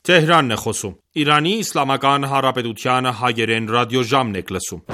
Թեհրանն է խոսում։ Իրանի Իսլամական Հանրապետության հայերեն ռադիոժամն եք լսում։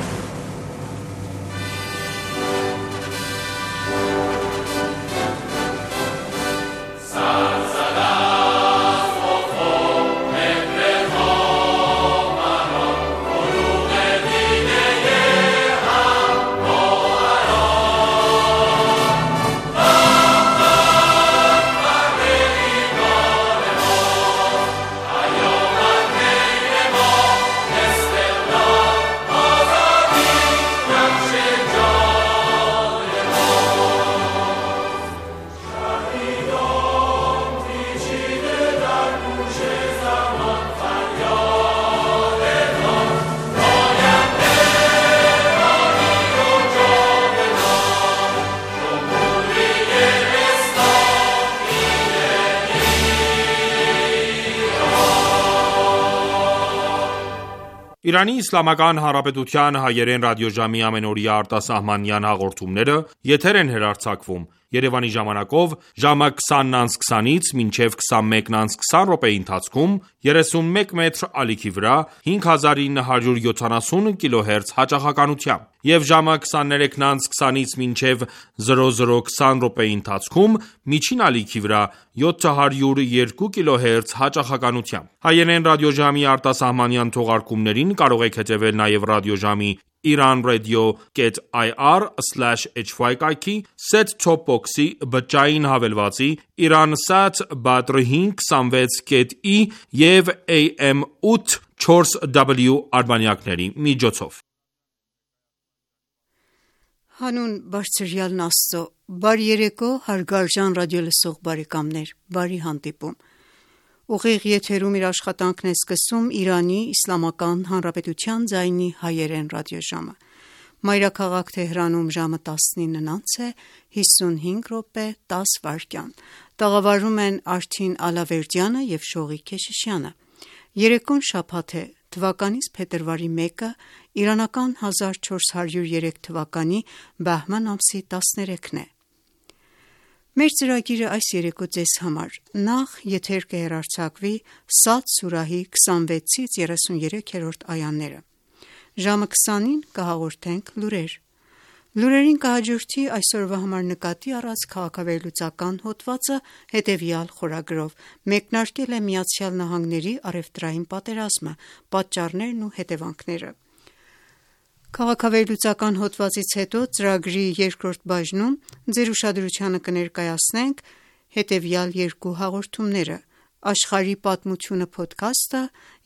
Իրանի Իսլամական Հանրապետության հայերեն ռադիոժամի ամենօրյա արտասահմանյան հաղորդումները եթեր են հեռարձակվում Երևանի ժամանակով ժամը 20:20-ից մինչև 21:20 րոպեի ընթացքում 31 մետր ալիքի վրա 5970 կիլոհերց հաճախականությամբ և ժամը 23:20-ից մինչև 00:20 րոպեի ընթացքում միջին ալիքի վրա 702 կիլոհերց հաճախականությամբ։ Հայերեն ռադիոժամի արտասահմանյան թողարկումներին կարող եք հետևել նաև ռադիոժամի iranradio.ir/hy կայքի, set-top box-ի, բջջային հավելվածի, Iransat Badr 526.E և AM 8/4W արբանյակների միջոցով։ Հանուն բարձրյալն Աստծո, բարի երեկո հարգարժան ռադիոլսող բարեկամներ, բարի հանդիպում։ Ուղիղ եթերում իր աշխատանքն է սկսում Իրանի Իսլամական Հանրապետության ձայնի հայերեն ռադիոժամը։ Մայրաքաղաք Թեհրանում ժամը 19:55 րոպե 10 վայրկյան։ Տաղավարում են Արթին Ալավերդյանը և Շողիկ Քեշիշյանը։ Երեկոն շաբաթ է, թվականից փետրվարի 1-ը, իրանական 1403 թվականի բահման ամսի 13-ն է։ Մեր ծրագիրը այս երեկո ձեզ համար նախ եթեր կհեռարձակվի Սադ սուրահի 26-ից 33-րդ այաները։ Ժամը 20-ին կհաղորդենք լուրեր։ Լուրերին կհաջորդի այսօրվա համար նկատի առած քաղաքավերլուծական հոդվածը հետևյալ խորագրով մեկնարկել է ԱՄՆ-ի առևտրային պատերազմը, պատճառներն ու հետևանքները։ Քաղաքավերլուծական հոդվածից հետո ծրագրի երկրորդ բաժնում ձեր ուշադրությանը կներկայացնենք հետևյալ երկու հաղորդումները՝ Աշխարհի պատմությունը փոդքասթը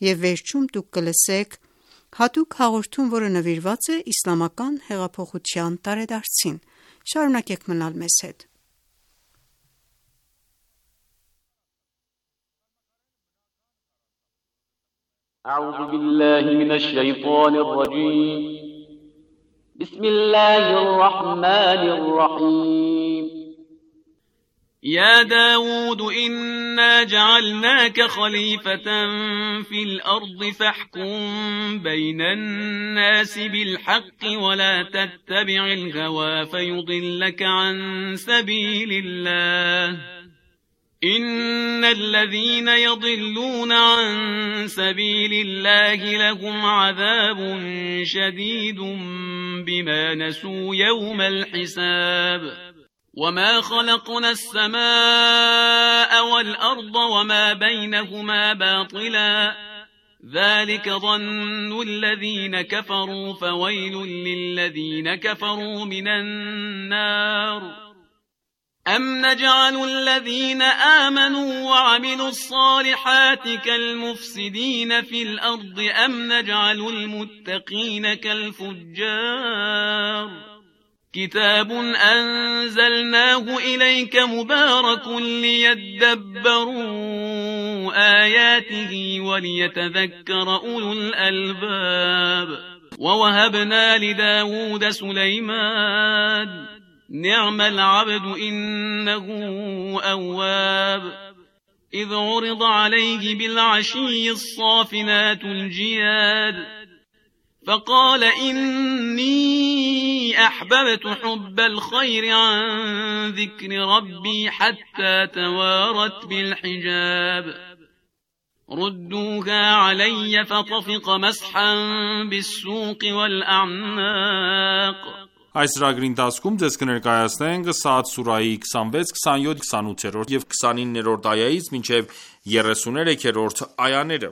և վերջում դուք կլսեք հատուկ հաղորդում, որը նվիրված է իսլամական հեղափոխության տարեդարձին։ Շարունակեք մնալ մեզ հետ։ أعوذ بالله من الشيطان الرجيم بسم الله الرحمن الرحيم يا داود إنا جعلناك خليفة في الأرض فاحكم بين الناس بالحق ولا تتبع الهوى فيضلك عن سبيل الله إن الذين يضلون عن سبيل الله لهم عذاب شديد بما نسوا يوم الحساب وما خلقنا السماء والأرض وما بينهما باطلا ذلك ظن الذين كفروا فويل للذين كفروا من النار أم نجعل الذين آمنوا وعملوا الصالحات كالمفسدين في الأرض أم نجعل المتقين كالفجار كتاب أنزلناه إليك مبارك ليدبروا آياته وليتذكر أولو الألباب ووهبنا لداود سليمان نعم العبد إنه أواب إذ عرض عليه بالعشي الصافنات الجياد فقال إني أحببت حب الخير عن ذكر ربي حتى توارت بالحجاب ردوها علي فطفق مسحا بالسوق والأعناق Այս ծրագրի ընթացքում ձեզ կներկայացնենք Սաադ սուրահի 26, 27, 28 և 29-րդ այայից մինչև 33-րդ այաները։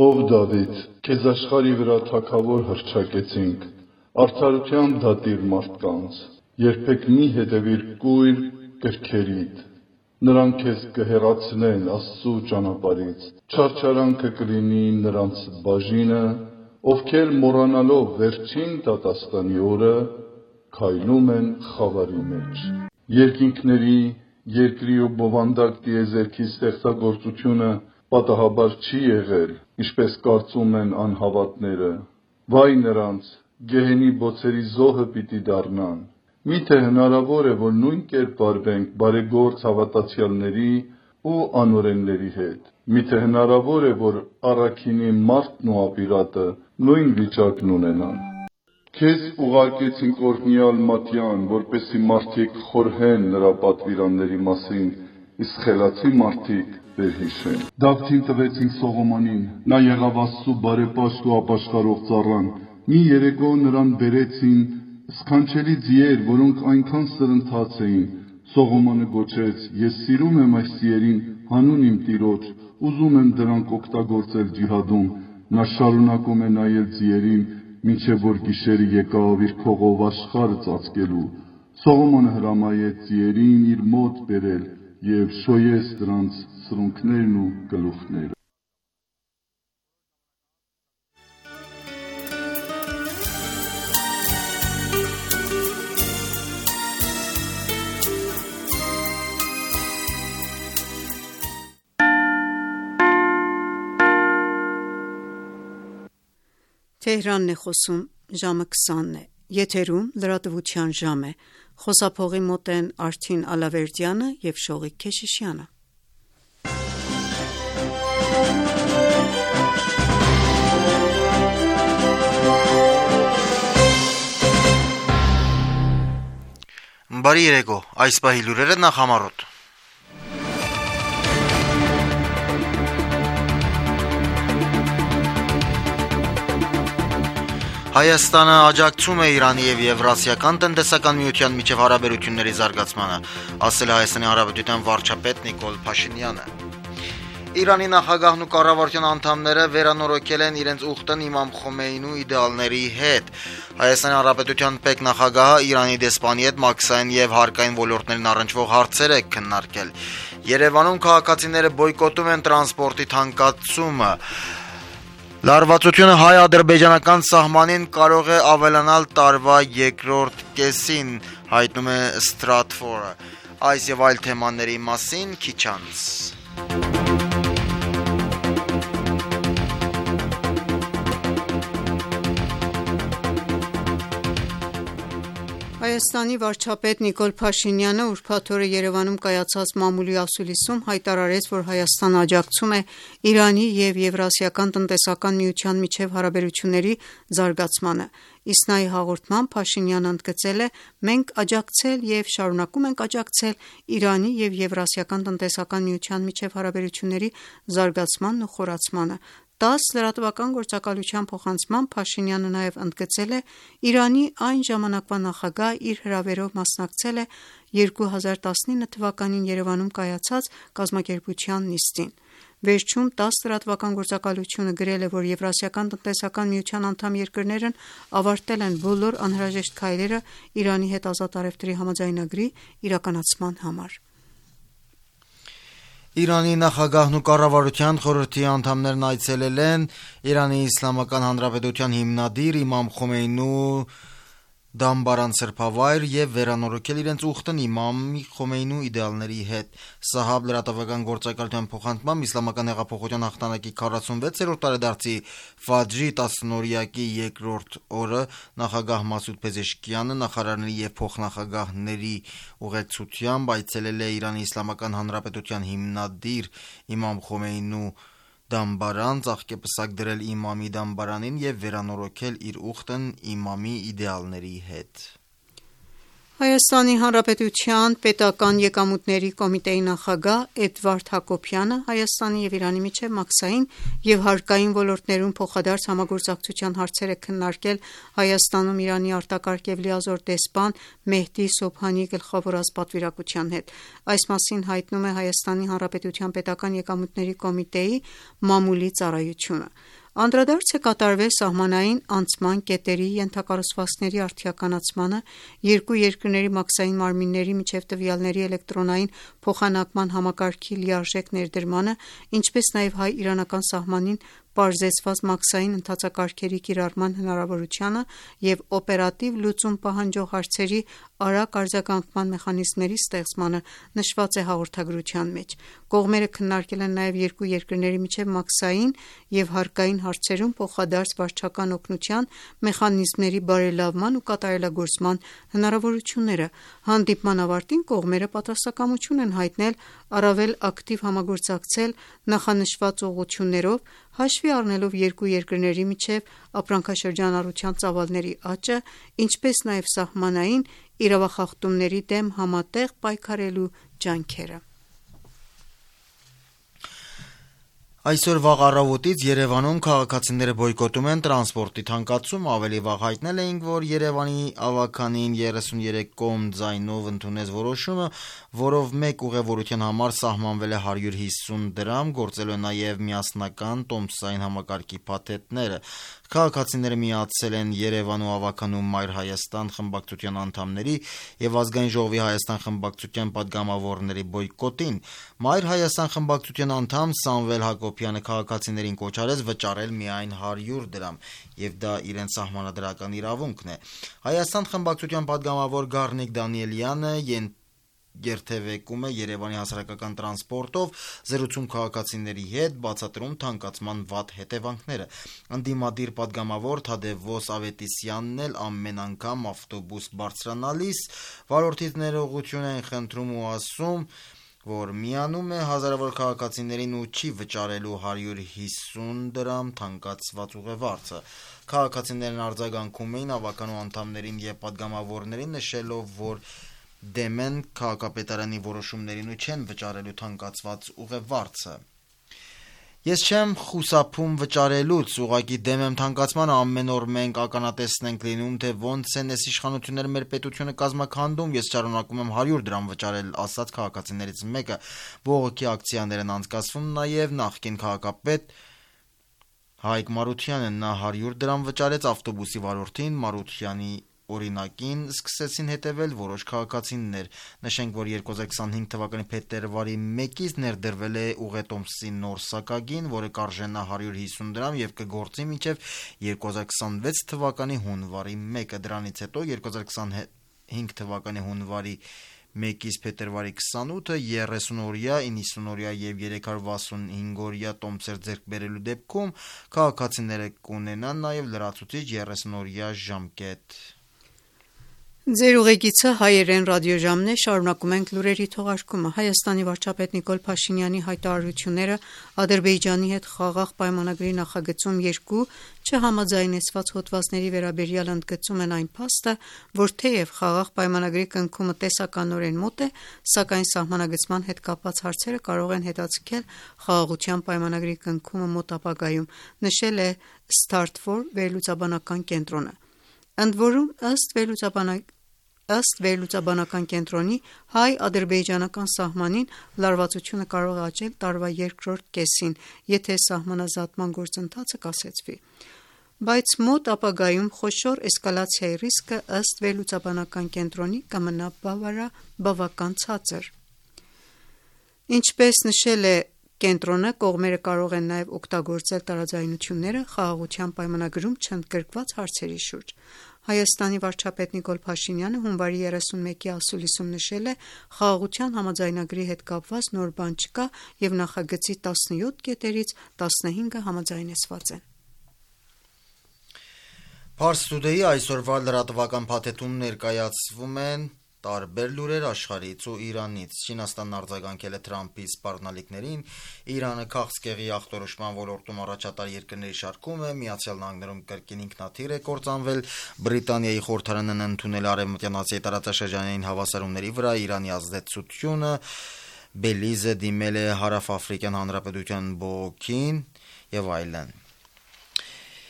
Ով Դավիթ, քեզ աշխարհի վրա թագավոր հռչակեցինք, արդարության դատիր մարդկանց, երբեք մի հետևիր կույր կրքերիդ, նրանք քեզ կհեռացնեն Աստծու ճանապարհից, չարչարանքը կլինի նրանց բաժինը, ովքեր մոռանալով վերջին դատաստանի օրը քայլում են խավարի մեջ։ Երկինքների, երկրի ու բովանդակ տիեզերքի ստեղծագործությունը պատահաբար չի եղել, ինչպես կարծում են անհավատները։ Վայ նրանց, գեհենի բոցերի զոհը պիտի դառնան։ Միթե հնարավոր է, որ նույն կերպ վարվենք բարեգործ հավատացյալների ու անօրենների հետ։ Միթե հնարավոր է, որ առաքինի մարդն ու ապիրատը նույն վիճակն ունենան։ Քեզ ուղարկեցինք օրհնյալ Մատյան, որպեսզի մարդիկ խորհեն նրա պատվիրանների մասին, իսկ խելացի մարդիկ վերհիշեն։ Դավթին տվեցինք Սողոմոնին, նա եղավ Աստծու բարեպաշտ ու ապաշխարող ծառան։ Մի երեկո նրան բերեցին սքանչելի ձիեր, որոնք այնքան սրընթաց էին։ Սողոմոնը գոչեց. Ես սիրում եմ այս ձիերին հանուն իմ Տիրոջ, ուզում եմ դրանք օգտագործել ջիհադում։ Նա շարունակում է նայել ձիերին, մինչև որ գիշերը եկավ իր քողով աշխարհը ծածկելու։ Սողոմոնը հրամայեց ձիերին իր մոտ բերել և շոյեց դրանց սրունքներն ու գլուխները։ Թեհրանն է խոսում, ժամը 20-ն է, եթերում լրատվության ժամ է, խոսափողի մոտ են Արթին Ալավերդյանը և Շողիկ Քեշիշյանը։ Բարի երեկո, այս պահի լուրերը նախամարոտ։ Հայաստանը աջակցում է Իրանի և Եվրասիական տնտեսական միության միջև հարաբերությունների զարգացմանը, ասել է Հայաստանի Հանրապետության վարչապետ Նիկոլ Փաշինյանը։ Իրանի նախագահն ու կառավարության անդամները վերանորոգել են իրենց ուխտն Իմամ Խոմեյնու իդեալների հետ։ Հայաստանի Հանրապետության պետնախագահը Իրանի դեսպանի հետ մաքսային և հարկային ոլորտներն առնչվող հարցեր է քննարկել։ Երևանում քաղաքացիները բոյկոտում են տրանսպորտի թանկացումը։ Լարվածությունը հայ-ադրբեջանական սահմանին կարող է ավելանալ տարվա երկրորդ կեսին, հայտնում է Stratfor-ը։ Այս եւ այլ թեմաների մասին քիչ անց։ Հայաստանի վարչապետ Նիկոլ Փաշինյանը ուրբաթ օրը Երևանում կայացած մամուլի ասուլիսում հայտարարեց, որ Հայաստանը աջակցում է Իրանի և Եվրասիական տնտեսական միության միջև հարաբերությունների զարգացմանը։ Իսնայի հաղորդմամբ Փաշինյանը ընդգծել է. «Մենք աջակցել և շարունակում ենք աջակցել Իրանի և Եվրասիական տնտեսական միության միջև հարաբերությունների զարգացմանն ու խորացմանը»։ ՏԱՍՍ լրատվական գործակալության փոխանցմամբ Փաշինյանը նաև ընդգծել է. «Իրանի այն ժամանակվա նախագահ իր հրավերով մասնակցել է 2019 թվականին Երևանում կայացած կազմակերպության նիստին»։ Վերջում ՏԱՍՍ լրատվական գործակալությունը գրել է, որ Եվրասիական տնտեսական միության անդամ երկրներն ավարտել են բոլոր անհրաժեշտ քայլերը Իրանի հետ ազատ առևտրի համաձայնագրի իրականացման համար։ Իրանի նախագահն ու կառավարության խորհրդի անդամներն այցելել են Իրանի Իսլամական Հանրապետության հիմնադիր Իմամ Խոմեյնու դամբարան սրբավայր եւ վերանորոգել իրենց ուխտն Իմամ Խոմեյնու իդեալների հետ։ Սահաբ լրատվական գործակալության փոխանցմամբ Իսլամական հեղափոխության հաղթանակի 46-րդ տարեդարձի Ֆաջրի 10-օրյակի երկրորդ օրը նախագահ Մասուդ Փեզեշքյանը նախարարների եւ փոխնախագահների ուղեկցությամբ այցելել է Իրանի Իսլամական Հանրապետության հիմնադիր Իմամ Խոմեյնու դամբարան, ծաղկեպսակ դրել իմամի դամբարանին եւ վերանորոգել իր ուխտն իմամի իդեալների հետ։ Հայաստանի Հանրապետության պետական եկամուտների կոմիտեի նախագահ Էդվարդ Հակոբյանը Հայաստանի և Իրանի միջև մաքսային և հարկային ոլորտներում փոխադարձ համագործակցության հարցեր է քննարկել Հայաստանում Իրանի արտակարգ և լիազոր դեսպան Մեհդի Սոբհանիի գլխավորած պատվիրակության հետ։ Այս մասին հայտնում է Հայաստանի Հանրապետության պետական եկամուտների կոմիտեի մամուլի ծառայությունը։ Անդրադարձ է կատարվել սահմանային անցման կետերի ենթակառուցվածքների արդիականացմանը, երկու երկրների մաքսային մարմինների միջև տվյալների էլեկտրոնային փոխանակման համակարգի լիարժեք ներդրմանը, ինչպես նաև հայ-իրանական սահմանին պարզեցված մաքսային ընթացակարգերի կիրառման հնարավորությանը և օպերատիվ լուծում պահանջող հարցերի արագ արձագանքման մեխանիզմների ստեղծմանը նշված է հաղորդագրության մեջ։ Կողմերը քննարկել են նաև երկու երկրների միջև մաքսային և հարկային հարցերում փոխադարձ վարչական օգնության մեխանիզմների բարելավման ու կատարելագործման հնարավորությունները։ Հանդիպման ավարտին կողմերը պատրաստակամություն են հայտնել առավել ակտիվ համագործակցել նախանշված ուղղություններով, հաշվի առնելով երկու երկրների միջև ապրանքաշրջանառության ծավալների աճը, ինչպես նաև սահմանային իրավախախտումների դեմ համատեղ պայքարելու ջանքերը։ Այսօր վաղ առավոտից Երևանում քաղաքացիները բոյկոտում են տրանսպորտի թանկացում, ավելի վաղ հայտնել էինք, որ Երևանի ավականին 33 կողմ ձայնով ընդունեց որոշումը, որով մեկ ուղևորության համար սահմանվել է 150 դրամ, գործելու է նաև միասնական տոմսային համակարգի փաթեթները։ Քաղաքացիները միացել են Երևան ու ավականում Մայր Հայաստան խմբակցության անդամների և Ազգային ժողովի Հայաստան խմբակցության պատգամավորների բոյկոտին։ Մայր Հայաստան խմբակցության անդամ Սամվել Հակոբյանը քաղաքացիներին կոչ արեց վճարել միայն 100 դրամ, և դա իրենց սահմանադրական իրավունքն է։ Հայաստան խմբակցության պատգամավոր Գառնիկ Դանիելյանը երթևեկում է Երևանի հասարակական տրանսպորտով, զրուցում քաղաքացիների հետ, բացատրում թանկացման վատ հետևանքները։ Ընդդիմադիր պատգամավոր Թադևոս Ավետիսյանն էլ ամեն անգամ ավտոբուս բարձրանալիս վարորդից ներողություն են խնդրում ու ասում, որ միանում է հազարավոր քաղաքացիներին ու չի վճարելու 150 դրամ թանկացված ուղևորը։ Քաղաքացիներն արձագանքում էին ավականու անդամներին և պատգամավորներին, նշելով, որ դեմ են քաղաքապետարանի որոշումներին ու չեն վճարելու թանկացված ուղևորը։ Ես չեմ խուսափում վճարելուց, ուղղակի դեմ եմ թանկացմանը, ամեն օր մենք ականատեսն ենք լինում, թե ոնց են այս իշխանությունները մեր պետությունը կազմաքանդում, ես շարունակում եմ 100 դրամ վճարել, ասաց քաղաքացիներից մեկը։ Բողոքի ակցիաներ են անցկացվում նաև նախկին քաղաքապետ Հայկ Մարությանը, նա 100 դրամ վճարեց ավտոբուսի վարորդին, Մարությանի օրինակին սկսեցին հետևել որոշ քաղաքացիներ։ Նշենք, որ 2025 թվականի փետրվարի 1-ից ներդրվել է ուղետոմսի նոր սակագին, որը կարժենա 150 դրամ և կգործի մինչև 2026 թվականի հունվարի 1-ը։ Դրանից հետո 2025 թվականի հունվարի 1-ից փետրվարի 28-ը 30-օրյա, 90-օրյա և 365-օրյա տոմսեր ձեռք բերելու դեպքում քաղաքացիները կունենան նաև լրացուցիչ 30-օրյա ժամկետ։ Ձեր ուղեկիցը հայերեն ռադիոժամն է, շարունակում ենք լուրերի թողարկումը։ Հայաստանի վարչապետ Նիկոլ Փաշինյանի հայտարարությունները Ադրբեջանի հետ խաղաղ պայմանագրի նախագծում երկու չհամաձայնեցված հոդվածների վերաբերյալ ընդգծում են այն փաստը, որ թեև խաղաղ պայմանագրի կնքումը տեսականորեն մոտ է, սակայն սահմանագծման հետ կապված հարցերը կարող են հետաձգել խաղաղության պայմանագրի կնքումը մոտ ապագայում, նշել է Start4 վերլուծաբանական կենտրոնը։ Ընդ որում, ըստ վերլուծաբանական կենտրոնի, հայ-ադրբեջանական սահմանին լարվածությունը կարող է աճել տարվա երկրորդ կեսին, եթե սահմանազատման գործընթացը կասեցվի։ Բայց մոտ ապագայում խոշոր էսկալացիայի ռիսկը ըստ վերլուծաբանական կենտրոնի կմնա բավական ցածր։ Ինչպես նշել է կենտրոնը, կողմերը կարող են նաև օգտագործել տարաձայնությունները խաղաղության պայմանագրում չընդգրկված հարցերի շուրջ։ Հայաստանի վարչապետ Նիկոլ Փաշինյանը հունվարի 31-ի ասուլիսում նշել է. «Խաղաղության համաձայնագրի հետ կապված նոր բան չկա և նախագծի 17 կետերից 15-ը համաձայնեցված են»։ Pars Today-ի այսօրվա լրատվական փաթեթում ներկայացվում են տարբեր լուրեր աշխարհից ու Իրանից։ Չինաստանն արձագանքել է Թրամփի սպառնալիքներին, Իրանը քաղցկեղի ախտորոշման ոլորտում առաջատար երկրների շարքում է, Միացյալ Նահանգներում կրկին ինքնաթիռ է կործանվել, Բրիտանիայի խորհրդարանն ընդունել Արևմտյան Ասիայի տարածաշրջանային հավասարումների վրա Իրանի ազդեցությունը, Բելիզը դիմել է Հարավաֆրիկյան Հանրապետության բողոքին եւ այլն։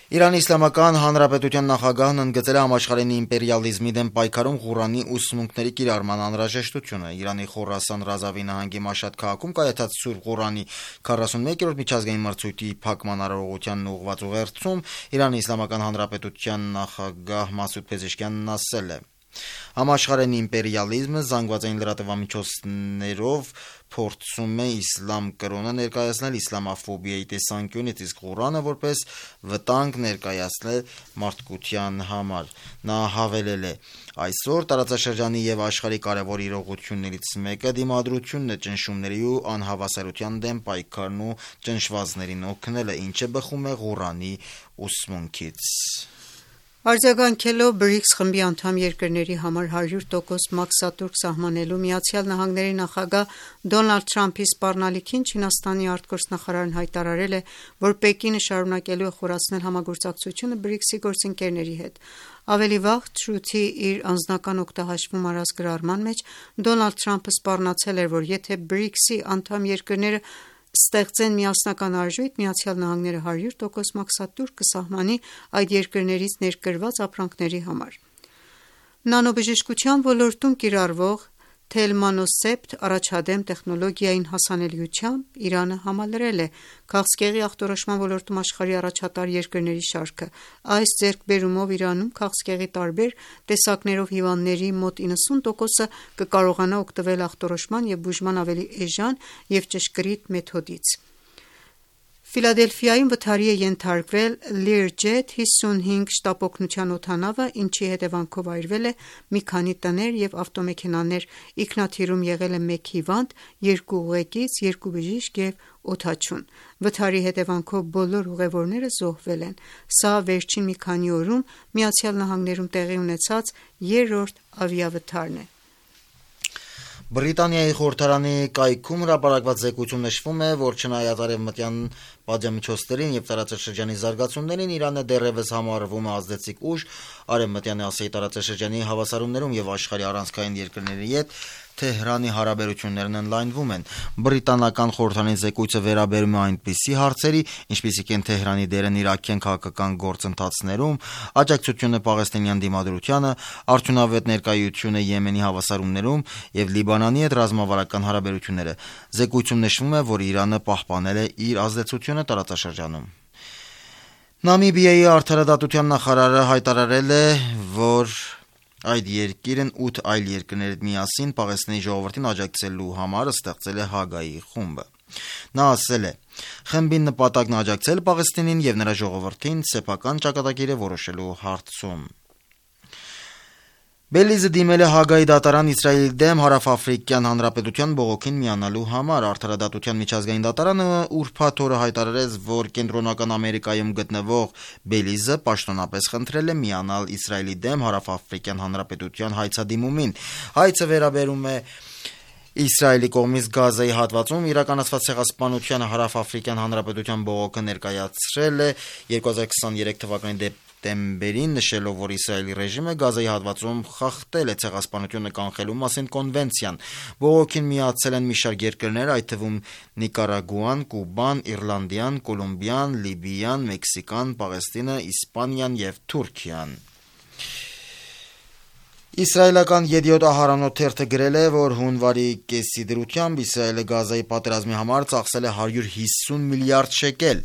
Իրանի Իսլամական Հանրապետության նախագահն ընդգծել է համաշխարհային իմպերիալիզմի դեմ պայքարում Ղուրանի ուսմունքների կիրառման անհրաժեշտությունը։ Իրանի Խորասան Ռազավի նահանգի Մաշհադ քաղաքում կայացած Սուրբ Ղուրանի 41-րդ միջազգային մրցույթի փակման արարողությանն ուղղված ուղերձում Իրանի Իսլամական Հանրապետության նախագահ Մասուդ Փեզեշքյանն ասել է. Համաշխարհային իմպերիալիզմը զանգվածային լրատվամիջոցներով փորձում է իսլամ կրոնը ներկայացնել իսլամաֆոբիայի տեսանկյունից, իսկ Ղուրանը որպես վտանգ ներկայացնել մարդկության համար։ Նա հավելել է. այսօր տարածաշրջանի եւ աշխարհի կարևոր իրողություններից մեկը դիմադրությունն է ճնշումների ու անհավասարության դեմ պայքարն ու ճնշվածներին օգնելը, ինչը բխում է Ղուրանի ուսմունքից։ Արձագանքելով BRICS խմբի անդամ երկրների համար 100% մաքսատուրք սահմանելու Միացյալ Նահանգների նախագահ Դոնալդ Թրամփի սպառնալիքին Չինաստանի արտգործնախարարն հայտարարել է, որ Պեկինը շարունակելու է խորացնել համագործակցությունը BRICS-ի գործընկերների հետ։ Ավելի վաղ Truth-ի իր անձնական օգտահաշվում արած գրառման մեջ Դոնալդ Թրամփը սպառնացել էր, որ եթե BRICS-ի անդամ երկրները ստեղծեն միասնական արժույթ, Միացյալ Նահանգները 100% մաքսատուրք կսահմանի այդ երկրներից ներկրված ապրանքների համար։ Նանոբժշկության ոլորտում կիրառվող Թելմանոսեպտ առաջադեմ տեխնոլոգիային հասանելիությամբ Իրանը համալրել է քաղցկեղի ախտորոշման ոլորտում աշխարհի առաջատար երկրների շարքը։ Այս ձեռքբերումով Իրանում քաղցկեղի տարբեր տեսակներով հիվանդների մոտ 90%-ը կկարողանա օգտվել ախտորոշման և բուժման ավելի էժան և ճշգրիտ մեթոդից։ Ֆիլադելֆիայում վթարի է ենթարկվել Learjet 55 շտապօգնության օդանավը, ինչի հետևանքով այրվել է մի քանի տներ և ավտոմեքենաներ, ինքնաթիռում եղել է 1 հիվանդ, 2 ուղեկից, 2 բժիշկ և օդաչուն։ Վթարի հետևանքով բոլոր ուղևորները զոհվել են։ Սա վերջին մի քանի օրում Միացյալ Նահանգներում տեղի ունեցած 3-րդ ավիավթարն է։ Բրիտանիայի խորհրդարանի կայքում հրապարակված զեկույցում նշվում է, որ չնայած արևմտյան պատժամիջոցներին եւ տարածաշրջանի զարգացումներին, Իրանը դեռևս համարվում է ազդեցիկ ուժ Արևմտյան Ասիայի տարածաշրջանի հավասարումներում եւ աշխարհի առանցքային երկրների հետ Թեհրանի հարաբերություններն ընդլայնվում են։ Բրիտանական խորհրդարանի զեկույցը վերաբերում է այնպիսի հարցերի, ինչպիսիք են Թեհրանի դերն իրաքյան քաղաքական գործընթացներում, աջակցությունը պաղեստինյան դիմադրությանը, արդյունավետ ներկայությունը Եմենի հավասարումներում եւ Լիբանանի հետ ռազմավարական հարաբերությունները։ Զեկույցում նշվում է, որ Իրանը պահպանել է իր ազդեցությունը տարածաշրջանում։ Նամիբիայի արդարադատության նախարարը հայտարարել է, որ այդ երկիրն 8 այլ երկրների հետ միասին Պաղեստինի ժողովրդին աջակցելու համար ստեղծել է Հագայի խումբը։ Նա ասել է. խմբի նպատակն աջակցել Պաղեստինին եւ նրա ժողովրդին սեփական ճակատագիրը որոշելու հարցում։ Բելիզը դիմել է Հագայի դատարան Իսրայելի դեմ Հարավաֆրիկյան Հանրապետության բողոքին միանալու համար։ Արդարադատության միջազգային դատարանը ուրբաթ օրը հայտարարեց, որ Կենտրոնական Ամերիկայում գտնվող Բելիզը պաշտոնապես խնդրել է միանալ Իսրայելի դեմ Հարավաֆրիկյան Հանրապետության հայցադիմումին։ Հայցը վերաբերում է Իսրայելի կողմից Գազայի հատվածում իրականացված ցեղասպանությանը Հարավաֆրիկյան Հանրապետության բողոքը ներկայացրել է 2023 թվականի դեկտեմբերին, նշելով, որ Իսրայելի ռեժիմը Գազայի հատվածում խախտել է ցեղասպանությունը կանխելու մասին կոնվենցիան։ Բողոքին միացել են մի շարք երկրներ, այդ թվում Նիկարագուան, Կուբան, Իռլանդիան, Կոլումբիան, Լիբիան, Մեքսիկան, Պաղեստինը, Իսպանիան եւ Թուրքիան։ Իսրայելական Yediot Aharonot թերթը գրել է, որ հունվարի կեսի դրությամբ Իսրայելը Գազայի պատերազմի համար ծախսել է 150 միլիարդ շեկել,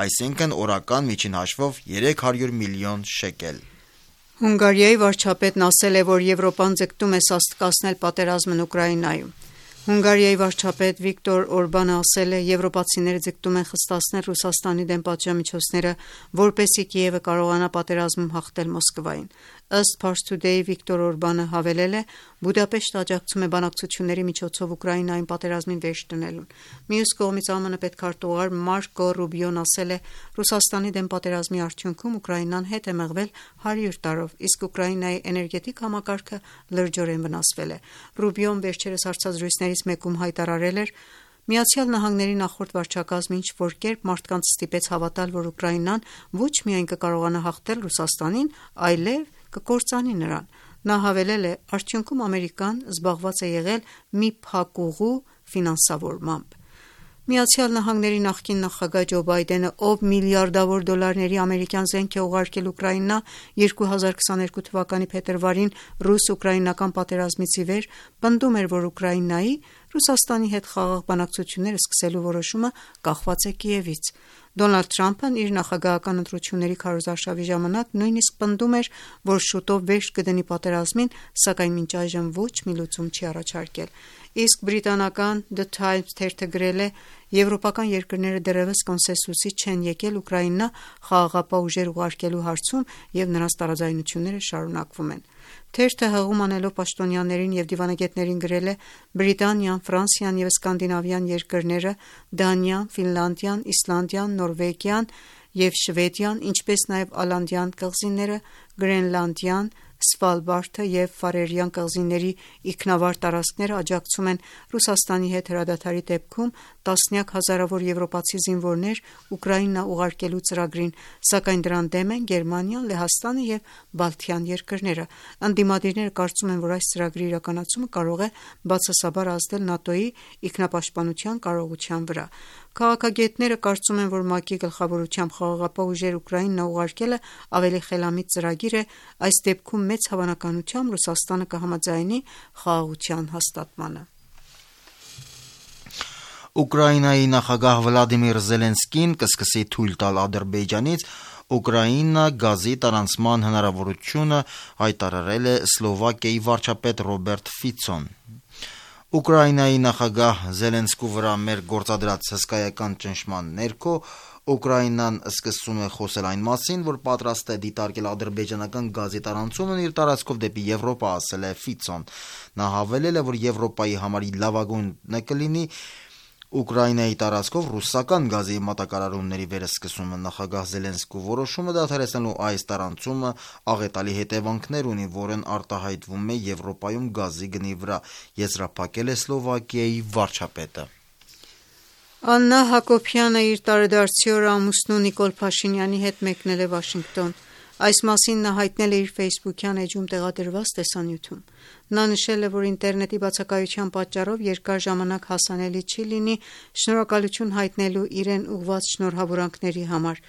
այսինքն օրական միջին հաշվով 300 միլիոն շեկել։ Հունգարիայի վարչապետն ասել է, որ Եվրոպան ձգտում է սաստկացնել պատերազմն Ուկրաինայում։ Հունգարիայի վարչապետ Վիկտոր Օրբանը ասել է, եվրոպացիները ձգտում են խստացնել Ռուսաստանի դեմ պատժամիջոցները, որպեսզի Կիևը կարողանա պատերազմում հաղթել Մոսկվային։ Ըստ Pars Today-ի Վիկտոր Օրբանը հավելել է. Բուդապեշտը աջակցում է բանակցությունների միջոցով Ուկրաինային պատերազմին վերջ դնելուն։ Մյուս կողմից ԱՄՆ պետքարտուղար Մարկո Ռուբիոն ասել է. Ռուսաստանի դեմ պատերազմի արդյունքում Ուկրաինան հետ է մղվել 100 տարով, իսկ Ուկրաինայի էներգետիկ համակարգը լրջորեն վնասվել է։ Ռուբիոն վերջերս հարցազրույցներից մեկում հայտարարել էր. ԱՄՆ-ի նախորդ վարչակազմը ինչ-որ կերպ մարդկանց ստիպեց հավատալ, որ Ուկրաինան ոչ միայն կկարողանա հաղթել Ռուսաստանին, այլև կկործանի նրան։ Նա հավելել է. Արդյունքում Ամերիկան զբաղված է եղել մի փակուղու ֆինանսավորմամբ։ ԱՄՆ-ի նախկին նախագահ Ջո Բայդենը, ով միլիարդավոր դոլարների ամերիկյան զենք է ուղարկել Ուկրաինա 2022 թվականի փետրվարին ռուս-ուկրաինական պատերազմից ի վեր, պնդում էր, որ Ուկրաինայի Ռուսաստանի հետ խաղաղ բանակցություններ սկսելու որոշումը կախված է Կիևից։ Դոնալդ Թրամփն իր նախագահական ընտրությունների քարոզարշավի ժամանակ նույնիսկ պնդում էր, որ շուտով վերջ կդնի պատերազմին, սակայն մինչ այժմ ոչ մի լուծում չի առաջարկել։ Իսկ բրիտանական The Times թերթը գրել է. Եվրոպական երկրները դեռևս կոնսենսուսի չեն եկել Ուկրաինա խաղաղապահ ուժեր ուղարկելու հարցում և նրանց տարաձայնությունները շարունակվում են։ Թերթը հղում անելով պաշտոնյաներին և դիվանագետներին գրել է. Բրիտանիան, Ֆրանսիան և սկանդինավյան երկրները, Դանիան, Ֆինլանդիան, Իսլանդիան, Նորվեգիան և Շվեդիան, ինչպես նաև Ալանդյան կղզիները, Գրենլանդիան, Սվալբարդը և Ֆարերյան կղզիների ինքնավար տարածքները աջակցում են Ռուսաստանի հետ հրադադարի դեպքում տասնյակ հազարավոր եվրոպացի զինվորներ Ուկրաինա ուղարկելու ծրագրին, սակայն դրան դեմ են Գերմանիան, Լեհաստանը և Բալթյան երկրները։ Ընդդիմադիրները կարծում են, որ այս ծրագրի իրականացումը կարող է բացասաբար ազդել ՆԱՏՕ-ի ինքնապաշտպանության կարողության վրա։ Քաղաքագետները կարծում են, որ ՄԱԿ-ի գլխավորությամբ խաղաղապահ ուժեր Ուկրաինա ուղարկելը ավելի խելամիտ ծրագիր է, այս դեպքում մեծ հավանականությամբ Ռուսաստանը կհամաձայնի խաղաղության հաստատմանը։ Ուկրաինայի նախագահ Վլադիմիր Զելենսկին կսկսի թույլ տալ Ադրբեջանից Ուկրաինա գազի տարանցման հնարավորությունը, հայտարարել է Սլովակիայի վարչապետ Ռոբերտ Ֆիցոն։ Ուկրաինայի նախագահ Զելենսկու վրա մեր գործադրած հսկայական ճնշման ներքո Ուկրաինան սկսում է խոսել այն մասին, որ պատրաստ է դիտարկել ադրբեջանական գազի տարանցումն իր տարածքով դեպի Եվրոպա, ասել է Ֆիցոն։ Նա հավելել է, որ Եվրոպայի համար լավագույնը կլինի Ուկրաինայի տարածքով ռուսական գազի մատակարարումների վերսկսումը։ Նախագահ Զելենսկու որոշումը դադարեցնելու այս տարանցումը աղետալի հետևանքներ ունի, որն արտահայտվում է Եվրոպայում գազի գնի վրա, եզրափակել է Սլովակիայի վարչապետը։ Աննա Հակոբյանը իր տարեդարձի օրը ամուսնու Նիկոլ Փաշինյանի հետ մեկնել է Վաշինգտոն։ Այս մասին նա հայտնել է իր ֆեյսբուքյան էջում տեղադրված տեսանյութում։ Նա նշել է, որ ինտերնետի բացակայության պատճառով երկար ժամանակ հասանելի չի լինի շնորհակալություն հայտնելու իրեն ուղղված շնորհավորանքների համար։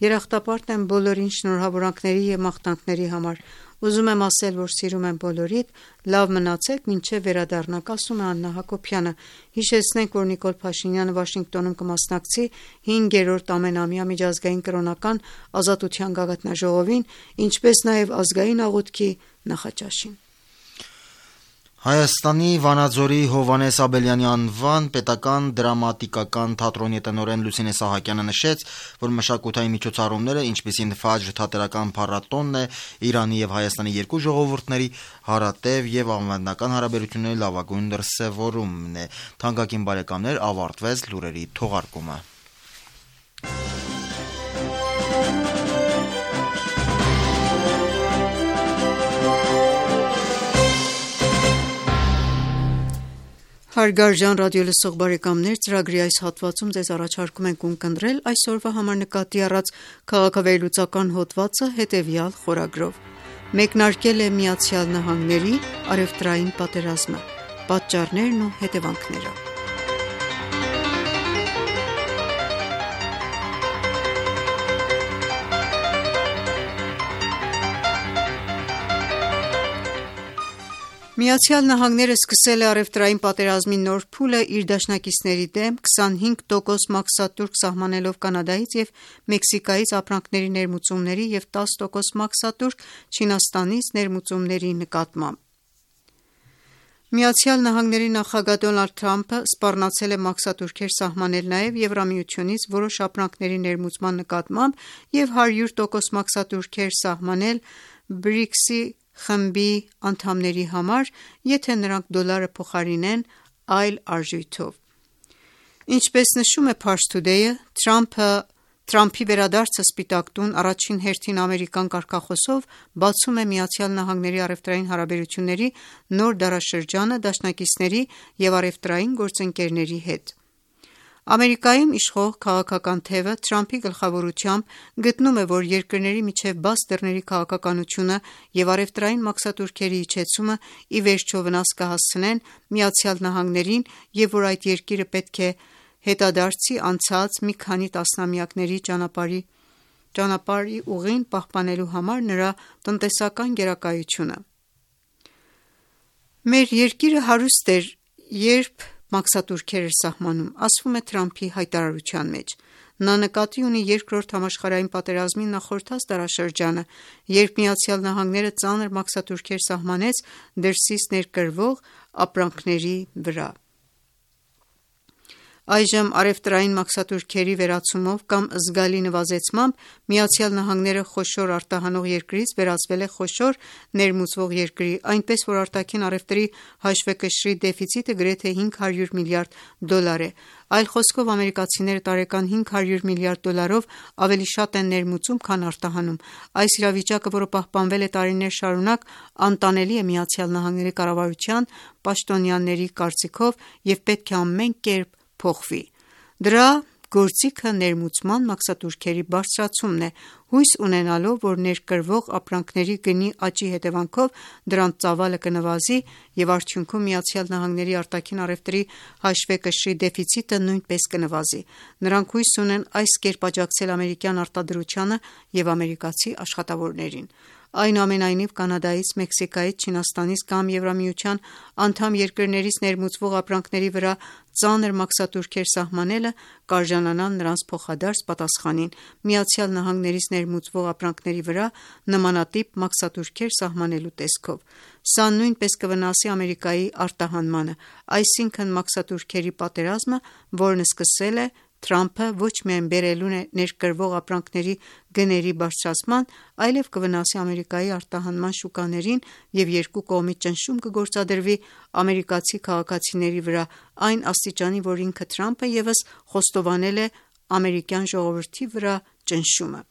Երախտապարտ եմ բոլորին շնորհավորանքների և մաղթանքների համար։ Ուզում եմ ասել, որ սիրում եմ բոլորիդ, լավ մնացեք, մինչև վերադառնաք, ասում է Աննա Հակոբյանը։ Հիշեցնենք, որ Նիկոլ Փաշինյանը Վաշինգտոնում կմասնակցի 5-րդ ամենամյա միջազգային կրոնական ազատության գագաթնաժողովին, ինչպես նաև ազգային աղոթքի նախաճաշին։ Հայաստանի Վանաձորի Հովհաննես Աբելյանի անվան պետական դրամատիկական թատրոնի տնօրեն Լուսինե Սահակյանը նշեց, որ մշակութային միջոցառումները, ինչպիսին Ֆաջր թատերական փառատոնն է, Իրանի և Հայաստանի երկու ժողովուրդների հարատև և անվտանգական հարաբերությունների լավագույն դրսևորումն է։ Թանկագին բարեկամներ, ավարտվեց լուրերի թողարկումը։ Հարգարժան ռադիոլսող բարեկամներ, ծրագրի այս հատվածում ձեզ առաջարկում ենք ունկնդրել այսօրվա համար նկատի առած քաղաքավերլուծական հոդվածը հետևյալ խորագրով։ Մեկնարկել է ԱՄՆ-ի առևտրային պատերազմը, պատճառներն ու հետևանքները։ ԱՄՆ-ն սկսել է առևտրային պատերազմի նոր փուլը իր դաշնակիցների դեմ 25% մաքսատուրք սահմանելով Կանադայից և Մեքսիկայից ապրանքների ներմուծումների և 10% մաքսատուրք Չինաստանից ներմուծումների նկատմամբ։ Միացյալ Նահանգների նախագահ Դոնալդ Թրամփը սպառնացել է մաքսատուրքեր սահմանել նաև Եվրամիությունից որոշ ապրանքների ներմուծման նկատմամբ և 100% մաքսատուրքեր սահմանել BRICS-ի խմբի անդամների համար, եթե նրանք դոլարը փոխարինեն այլ արժույթով: Ինչպես նշում է Pars Today-ը, Թրամփի վերադարձը Սպիտակ տուն առաջին հերթին ամերիկյան կարգախոսով բացում է ԱՄՆ-ի առևտրային հարաբերությունների նոր դարաշրջանը դաշնակիցների և առևտրային գործընկերների հետ: Ամերիկայում իշխող քաղաքական թևը Թրամփի գլխավորությամբ գտնում է, որ երկրների միջև բաց դռների քաղաքականությունը և առևտրային մաքսատուրքերի իջեցումը ի վերջո վնաս կհասցնեն ԱՄՆ-ին և որ այդ երկիրը պետք է հետադարձի անցած մի քանի տասնամյակների ճանապարհի ուղին պահպանելու համար նրա տնտեսական գերակայությունը: Մեր երկիրը հարուստ էր, երբ մաքսատուրքեր էր սահմանում, ասվում է Թրամփի հայտարարության մեջ: Նա նկատի ունի Երկրորդ համաշխարհային պատերազմին նախորդած դարաշրջանը, երբ ԱՄՆ-ը ծանր մաքսատուրքեր սահմանեց դրսից ներկրվող ապրանքների վրա: Այժմ առևտրային մաքսատուրքերի վերացումով կամ զգալի նվազեցմամբ ԱՄՆ-ը խոշոր արտահանող երկրից վերածվել է խոշոր ներմուծվող երկրի, այնպես որ արտաքին առևտրի հաշվեկշռի դեֆիցիտը գրեթե $500 միլիարդ է: Այլ խոսքով ամերիկացիները տարեկան $500 միլիարդով ավելի շատ են ներմուծում, քան արտահանում: Այս իրավիճակը, որը պահպանվել է տարիներ շարունակ, անտանելի է ԱՄՆ կառավարության պաշտոնյաների կարծիքով և պետք է ամեն կերպ փոխվի: Դրա գործիքը ներմուծման մաքսատուրքերի բարձրացումն է, հույս ունենալով, որ ներկրվող ապրանքների գնի աճի հետևանքով դրանց ծավալը կնվազի և արդյունքում ԱՄՆ արտաքին առևտրի հաշվեկշռի դեֆիցիտը նույնպես կնվազի: Նրանք հույս ունեն այս կերպ աջակցել ամերիկյան արտադրությանը և ամերիկացի աշխատավորներին: Այնուամենայնիվ, Կանադայից, Մեքսիկայից, Չինաստանից կամ Եվրամիության անդամ երկրներից ներմուծվող ապրանքների վրա ծանր մաքսատուրքեր սահմանելը կարժանանա նրանց փոխադարձ պատասխանին ԱՄՆ-ից ներմուծվող ապրանքների վրա նմանատիպ մաքսատուրքեր սահմանելու տեսքով: Սա նույնպես կվնասի Ամերիկայի արտահանմանը: Այսինքն մաքսատուրքերի պատերազմը, որն սկսել է Թրամփը, ոչ միայն բերելու է ներկրվող ապրանքների գների բարձրացման, այլև կվնասի Ամերիկայի արտահանման շուկաներին և երկու կողմից ճնշում կգործադրվի ամերիկացի քաղաքացիների վրա այն աստիճանի, որ ինքը Թրամփը ևս խոստովանել է ամերիկյան ժողովրդի վրա ճնշումը: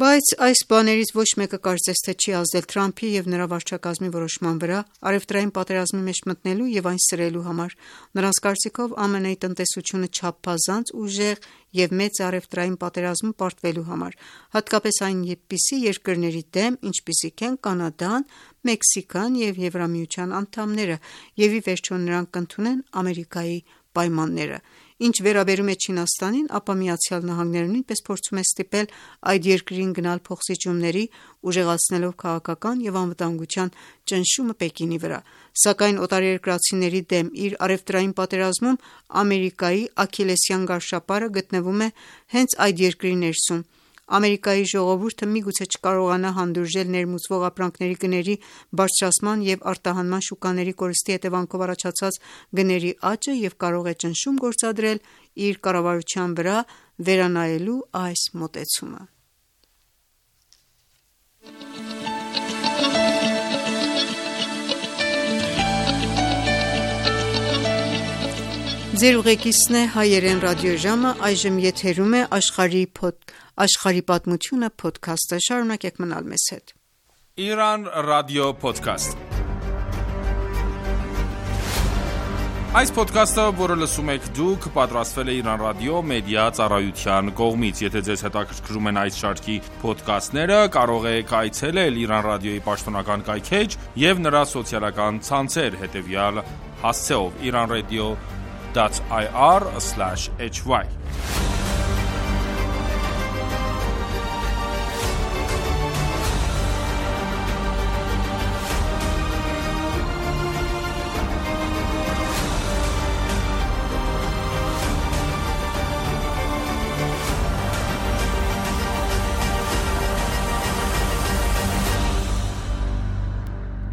Բայց այս բաներից ոչ մեկը կարծես թե չի ազդել Թրամփի և նրա վարչակազմի որոշման վրա առևտրային պատերազմի մեջ մտնելու և այն սրելու համար: Նրանց կարծիքով ԱՄՆ-ի տնտեսությունը չափազանց ուժեղ և մեծ է առևտրային պատերազմում պարտվելու համար, հատկապես այնպիսի երկրների դեմ, ինչպիսիք են Կանադան, Մեքսիկան և Եվրամիության անդամները և ի վերջո նրանք կընդունեն Ամերիկայի պայմանները: Ինչ վերաբերում է Չինաստանին, ապա ԱՄՆ-ը նույնպես փորձում է ստիպել այդ երկրին գնալ փոխզիջումների, ուժեղացնելով քաղաքական և անվտանգության ճնշումը Պեկինի վրա: Սակայն օտարերկրացիների դեմ իր առևտրային պատերազմում Ամերիկայի աքիլլեսյան գարշապարը գտնվում է հենց այդ երկրի ներսում: Ամերիկայի ժողովուրդը միգուցե չկարողանա հանդուրժել ներմուծվող ապրանքների գների բարձրացման և արտահանման շուկաների կորստի հետևանքով առաջացած գների աճը և կարող է ճնշում գործադրել իր կառավարության վրա վերանայելու այս մոտեցումը: Իրան ռադիո փոդքասթ: Այս փոդքասթը, որը լսում եք դուք, պատրաստվել է Իրան ռադիո մեդիա ծառայության կողմից: Եթե ձեզ հետաքրքրում են այս շարքի փոդքասթները, կարող եք այցելել Իրան ռադիոյի պաշտոնական կայքէջ և նրա սոցիալական ցանցեր, հետևյալ հասցեով՝ iranradio.ir/hy: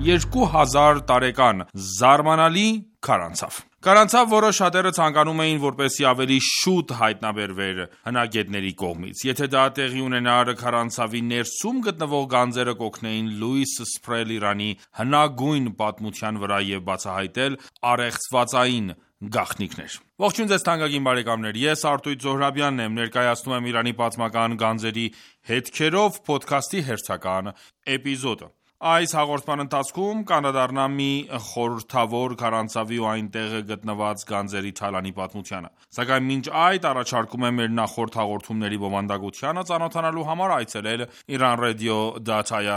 2000 տարեկան զարմանալի քարանցավ։ Քարանցավ, որը շատերը ցանկանում էին, որպեսզի ավելի շուտ հայտնաբերվեր հնագետների կողմից։ Եթե դա տեղի ունենար, քարանցավի ներսում գտնվող գանձերը կօգնեին լույս սփռել Իրանի հնագույն պատմության վրա և բացահայտել առեղծվածային գաղտնիքներ։ Ողջույն ձեզ թանկագին բարեկամներ, ես Արտույտ Զոհրաբյանն եմ, ներկայացնում եմ Իրանի պատմական գանձերի հետքերով փոդքասթի հերթական էպիզոդը։ Այս հաղորդման ընթացքում կանդրադառնամ մի խորհրդավոր քարանցավի ու այնտեղ գտնված գանձերի թալանի պատմությանը։ Սակայն մինչ այդ առաջարկում եմ մեր նախորդ հաղորդումների բովանդակությանը ծանոթանալու համար այցելել iranradio.ir/hy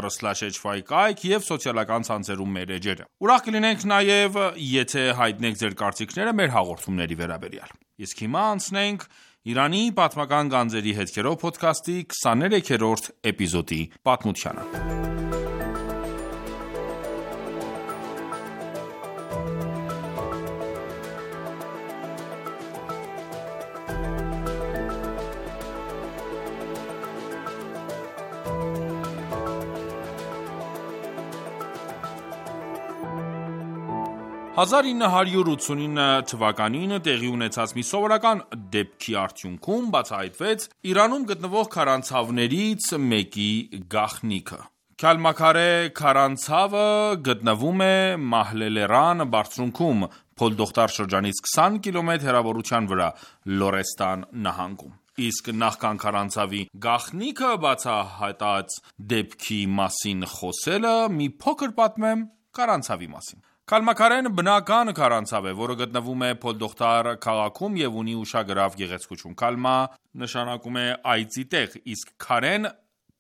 կայք և սոցիալական ցանցերում մեր էջերը։ Ուրախ կլինենք նաև, եթե հայտնեք ձեր կարծիքները մեր հաղորդումների վերաբերյալ։ Իսկ հիմա անցնենք Իրանի պատմական գանձերի հետքերով փոդքասթի 23-րդ էպիզոդի պատմությանը։ 1989 թվականին տեղի ունեցած մի սովորական դեպքի արդյունքում բացահայտվեց Իրանում գտնվող քարանցավներից մեկի գաղտնիքը։ Քալմաքարե քարանցավը գտնվում է Մահլելերան բարձունքում, Փոլդոխտար շրջանից 20 կիլոմետր հեռավորության վրա, Լորեստան նահանգում։ Իսկ նախքան քարանցավի գաղտնիքը բացահայտած դեպքի մասին խոսելը, մի փոքր պատմեմ քարանցավի մասին։ Քալմաքարեն բնական քարանցավ է, որը գտնվում է Փոլդոխտար քաղաքում և ունի ուշագրավ գեղեցկություն։ Քալմա նշանակում է այծի տեղ, իսկ քարեն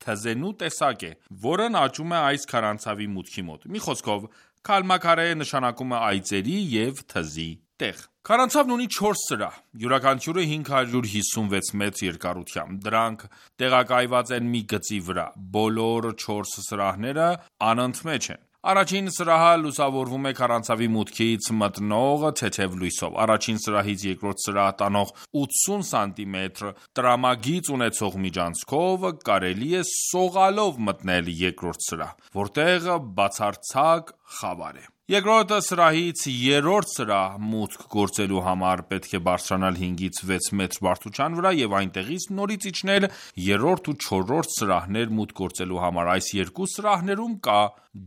թզենու տեսակ է, որն աճում է այս քարանցավի մուտքի մոտ։ Մի խոսքով, Քալմաքարե նշանակում է այծերի և թզի տեղ։ Քարանցավն ունի 4 սրահ, յուրաքանչյուրը 556 մետր երկարությամբ։ Դրանք տեղակայված են մի գծի վրա։ Բոլոր 4 սրահները անընդմեջ են։ Առաջին սրահը լուսավորվում է քարանցավի մուտքից մտնող թեթև լույսով։ Առաջին սրահից երկրորդ սրահ տանող 80 սանտիմետր տրամագիծ ունեցող միջանցքով կարելի է սողալով մտնել երկրորդ սրահ, որտեղ բացարձակ խավար է։ Երկրորդ սրահից երրորդ սրահ մուտք գործելու համար պետք է բարձրանալ 5-ից 6 մետր բարձրության վրա և այնտեղից նորից իջնել երրորդ ու չորրորդ սրահներ մուտք գործելու համար։ Այս երկու սրահներում կա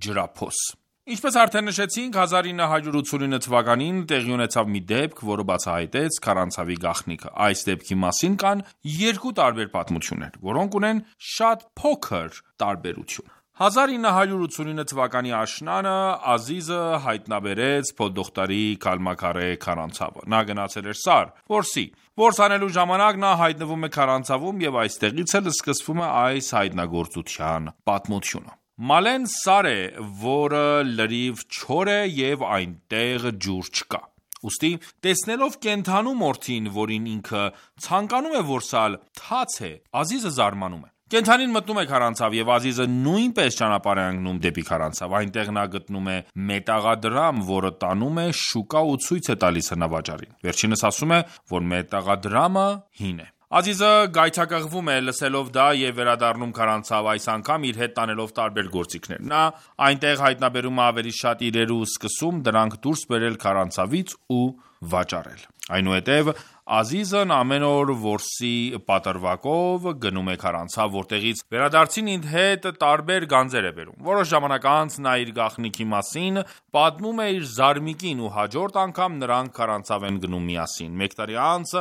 ջրափոս։ Ինչպես արդեն նշեցինք, 1989 թվականին տեղի ունեցավ մի դեպք, որը բացահայտեց քարանցավի գաղտնիքը։ Այս դեպքի մասին կան երկու տարբեր պատմություններ, որոնք ունեն շատ փոքր տարբերություն։ 1989 թվականի աշնանը Ազիզը հայտնաբերեց Փոլդոխտարի Քալմաքարե քարանցավը։ Նա գնացել էր Սար, որսի։ Որս անելու ժամանակ նա հայտնվում է քարանցավում և այստեղից էլ սկսվում է այս հայտնագործության պատմությունը։ Մալեն սար է, որը լրիվ չոր է և այնտեղ ջուր չկա։ Ուստի տեսնելով կենդանու մորթին, որին ինքը ցանկանում է որսալ, թաց է, Ազիզը զարմանում է։ Կենդանին մտնում է քարանցավ և Ազիզը նույնպես ճանապարհ է ընկնում դեպի քարանցավ։ Այնտեղ նա գտնում է մետաղադրամ, որը տանում է շուկա ու ցույց է տալիս հնավաճառին։ Վերջինս ասում է, որ մետաղադրամը հին է։ Ազիզը գայթակղվում է լսելով դա և վերադառնում քարանցավ, այս անգամ իր հետ տանելով տարբեր գործիքներ։ Նա այնտեղ հայտնաբերում է ավելի շատ իրեր ու սկսում դրանք դուրս բերել քարանցավից ու վաճառել։ Այնուհետև Ազիզն ամեն օր որսի պատրվակով գնում է քարանցավ, որտեղից վերադարձին իր հետ տարբեր գանձեր է բերում։ Որոշ ժամանակ անց նա իր գաղտնիքի մասին պատմում է իր զարմիկին ու հաջորդ անգամ նրանք քարանցավ են գնում միասին։ Մեկ տարի անց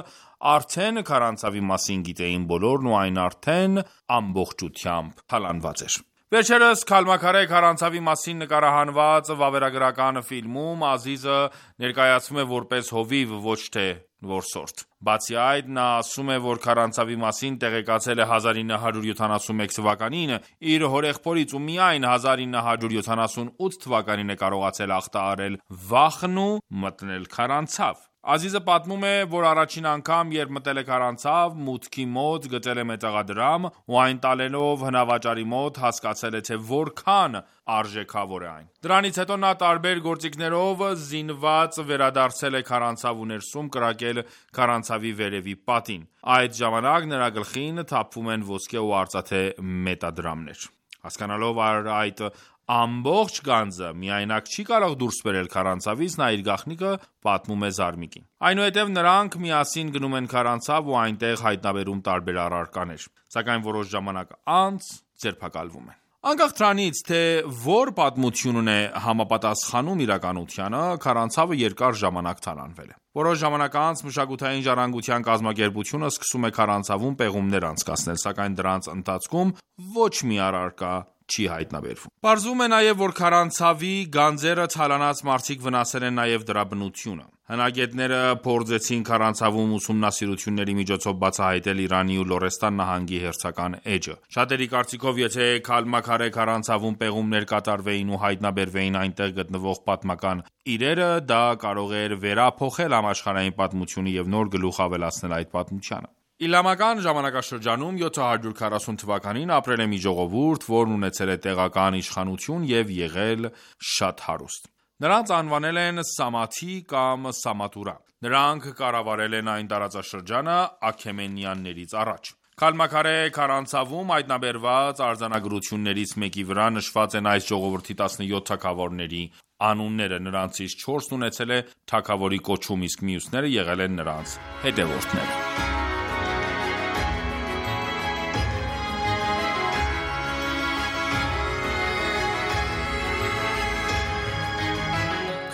արդեն քարանցավի մասին գիտեին բոլորն ու այն արդեն ամբողջությամբ թալանված էր։ Վերջերս Քալմաքարե քարանցավի մասին նկարահանված վավերագրական ֆիլմում Ազիզը ներկայացվում է որպես հովիվ, ոչ թե որսորդ։ Բացի այդ, նա ասում է, որ քարանցավի մասին տեղեկացել է 1971 թվականին իր հորեղբորից ու միայն 1978 թվականին է կարողացել ախտահարել վախն ու մտնել քարանցավ։ Ազիզը պատմում է, որ առաջին անգամ, երբ մտել է քարանցավ, մուտքի մոտ գտել է մետաղադրամ ու այն տալելով հնավաճառի մոտ հասկացել է, թե որքան արժեքավոր է այն։ Դրանից հետո նա տարբեր գործիքներով զինված վերադարձել է քարանցավ ու ներսում կրակել քարանցավի վերևի պատին։ Այդ ժամանակ նրա գլխին թափվում են ոսկե ու արծաթե մետադրամներ։ Հասկանալով այդ Ամբողջ գանձը միայնակ չի կարող դուրս բերել քարանցավից, նա իր գաղտնիքը պատմում է Զարմիկին։ Այնուհետև նրանք միասին գնում են քարանցավ ու այնտեղ հայտնաբերում տարբեր առարկաներ, սակայն որոշ ժամանակ անց ձերբակալվում են։ Անկախ դրանից, թե որ պատմությունն է համապատասխանում իրականությանը, քարանցավը երկար ժամանակ թալանվել է։ Որոշ ժամանակ անց մշակութային ժառանգության կազմակերպությունը սկսում է քարանցավում պեղումներ անցկացնել, սակայն դրանց ընթացքում ոչ մի առարկա չի հայտնաբերվում։ Պարզվում է նաև, որ քարանցավի գանձերը թալանած մարդիկ վնասել են նաև դրա բնությունը։ Հնագետները փորձեցին քարանցավում ուսումնասիրությունների միջոցով բացահայտել Իրանի ու Լորեստան նահանգի հերթական էջը։ Շատերի կարծիքով, եթե քալմաքարե քարանցավում պեղումներ կատարվեին ու հայտնաբերվեին այնտեղ գտնվող պատմական իրերը, դա կարող էր վերափոխել համաշխարհային պատմությունը և նոր գլուխ ավելացնել այդ պատմությանը։ Իսլամական ժամանակաշրջանում 740 թվականին ապրել է մի ժողովուրդ, որն ունեցել է տեղական իշխանություն և եղել շատ հարուստ։ Նրանց անվանել են Սամաթի կամ Սամաթուրա։ Նրանք կառավարել են այն տարածաշրջանը Աքեմենյաններից առաջ։ Քալմաքարե քարանցավում հայտնաբերված արձանագրություններից մեկի վրա նշված են այս ժողովրդի 17 թագավորների անունները, նրանցից 4-ն ունեցել է թագավորի կոչում, իսկ մյուսները եղել են նրանց հետևորդները։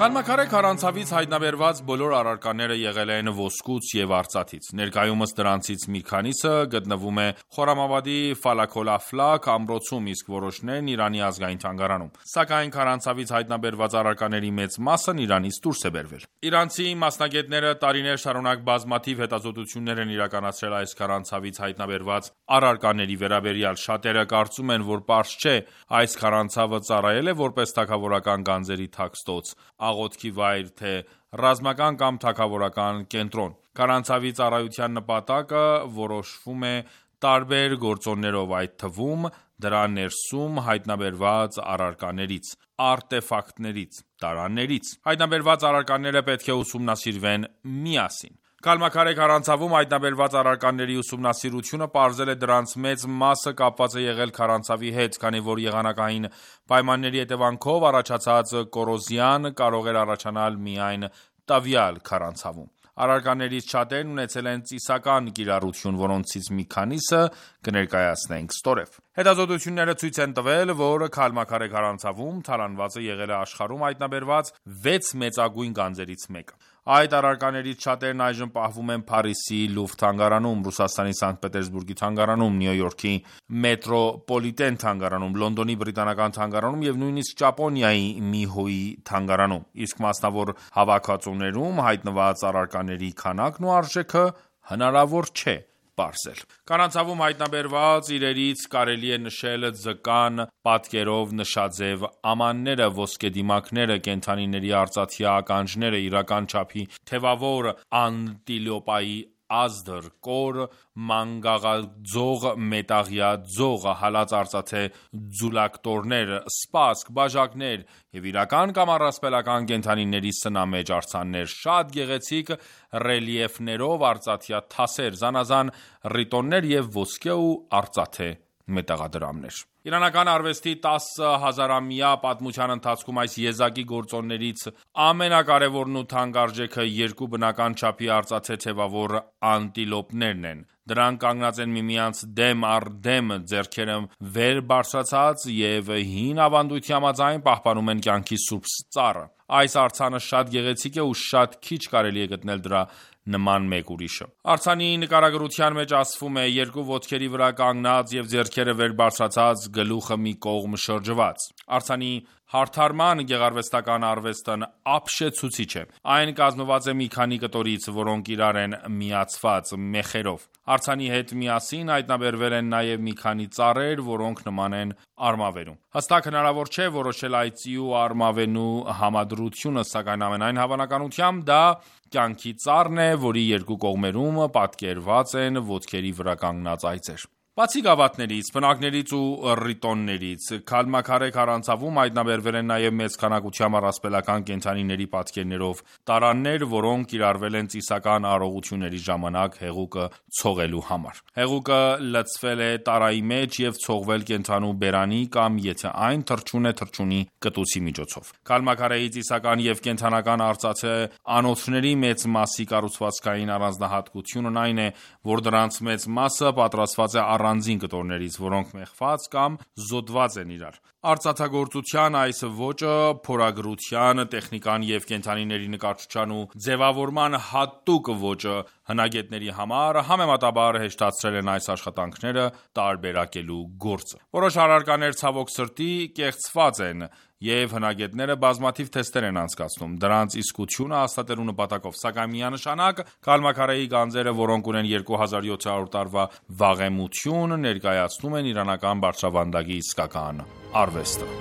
Քալմաքարե քարանցավից հայտնաբերված բոլոր առարկաները եղել են ոսկուց և արծաթից։ Ներկայումս դրանցից մի քանիսը գտնվում է Խորամաբադի Ֆալաքոլաֆլակ ամրոցում, իսկ որոշներն Իրանի ազգային թանգարանում։ Սակայն քարանցավից հայտնաբերված առարկաների մեծ մասն Իրանից դուրս է բերվել։ Իրանցի մասնագետները տարիներ շարունակ բազմաթիվ հետազոտություններ են իրականացրել այս քարանցավից հայտնաբերված առարկաների վերաբերյալ։ Շատերը կարծում են, որ պարզ չէ այս քարանցավը ծառայել է որպես թագավորական գանձերի թաքստոց, աղոթքի վայր, թե ռազմական կամ թագավորական կենտրոն։ Քարանցավի ծառայության նպատակը որոշվում է տարբեր գործոններով, այդ թվում դրա ներսում հայտնաբերված առարկաներից, արտեֆակտներից, տարաներից։ Հայտնաբերված առարկաները պետք է ուսումնասիրվեն միասին։ Քալմաքարե քարանցավում հայտնաբերված առարկաների ուսումնասիրությունը պարզել է դրանց մեծ մասը կապված է եղել քարանցավի հետ, քանի որ եղանակային պայմանների հետևանքով առաջացած կոռոզիան կարող էր առաջանալ միայն տվյալ քարանցավում։ Առարկաներից շատերն ունեցել են ծիսական կիրառություն, որոնցից մի քանիսը կներկայացնենք ստորև։ Հետազոտությունները ցույց են տվել, որ քալմաքարե քարանցավում թալանվածը եղել է աշխարհում հայտնաբերված 6 մեծագույն գանձերից մեկը։ Այդ առարկաներից շատերն այժմ պահվում են Փարիզի Լուվր թանգարանում, Ռուսաստանի Սանկտ Պետերսբուրգի թանգարանում, Նյու Յորքի Մետրոպոլիտեն թանգարանում, Լոնդոնի բրիտանական թանգարանում և նույնիսկ Ճապոնիայի Միհոյի թանգարանում, իսկ մասնավոր հավաքածուներում հայտնված առարկաների քանակն ու արժեքը հնարավոր չէ պարզել։ Քարանցավում հայտնաբերված իրերից կարելի է նշել ձկան պատկերով նշաձև ամանները, ոսկեդիմակները, կենդանիների արծաթյա ականջները, իրական չափի թևավոր անտիլոպայի ազդր, կոր, մանգաղաձող մետաղյա ձող, հալած արծաթե ձուլակտորներ, սպասք, բաժակներ և իրական կամ առասպելական կենդանիների սնամեջ արձաններ, շատ գեղեցիկ ռելիեֆներով արծաթյա թասեր, զանազան ռիտոններ և ոսկե ու արծաթե մետաղադրամներ։ Իրանական արվեստի 10 հազարամյա պատմության ընթացքում այս եզակի գործոններից ամենակարևորն ու թանկարժեքը երկու բնական չափի արծաթե թևավոր անտիլոպներն են։ Դրանք կանգնած են միմյանց դեմ առ դեմ, ձեռքերը վեր բարձրացած և հին ավանդույթի համաձայն պահպանում են կյանքի սուրբ ծառը։ Այս արձանը շատ գեղեցիկ է ու շատ քիչ կարելի է գտնել դրա նման մեկ ուրիշը։ Արձանի նկարագրության մեջ ասվում է երկու ոտքերի վրա կանգնած և ձեռքերը վեր բարձրացած, գլուխը մի կողմ շրջված։ Արձանի հարդարման գեղարվեստական արվեստն ապշեցուցիչ է։ Այն կազմված է մի քանի կտորից, որոնք իրար են միացված մեխերով։ Արձանի հետ միասին հայտնաբերվել են նաև մի քանի ծառեր, որոնք նման են արմավերու։ Հստակ հնարավոր չէ որոշել այծի ու արմավենու համադրությունը, սակայն ամենայն հավանականությամբ դա կյանքի ծառն է, որի երկու կողմերում պատկերված են ոտքերի վրա կանգնած այծեր։ Բացի գավաթներից, պնակներից ու ռիտոններից, Քալմաքարե քարանձավում հայտնաբերվել են նաև մեծ քանակությամբ առասպելական կենդանիների պատկերներով տարաններ, որոնք կիրառվել են ծիսական արարողությունների ժամանակ հեղուկը ցողելու համար։ Հեղուկը լցվել է տարայի մեջ և ցողվել կենդանու բերանի կամ եթե այն թռչուն է թռչունի կտուցի միջոցով։ Քալմաքարեի ծիսական և կենդանական արծաթե անոթների մեծ մասի կառուցվածքային առանձնահատկությունն այն է, որ դրանց մեծ մասը պատրաստված է առանձին կտորներից, որոնք մեխված կամ զոդված են իրար։ Արծաթագործության այս ոճը փորագրության, տեխնիկան և կենդանիների նկարչության ու ձևավորման հատուկ ոճը հնագետների համար համեմատաբար հեշտացրել են այս աշխատանքները տարբերակելու գործը։ Որոշ առարկաներ ցավոք սրտի կեղծված են, և հնագետները բազմաթիվ թեստեր են անցկացնում դրանց իսկությունը հաստատելու նպատակով, սակայն միանշանակ Քալմաքարեի գանձերը, որոնք ունեն 2700 տարվա վաղեմություն, ներկայացնում են իրանական բարձրավանդակի իսկական արվեստը։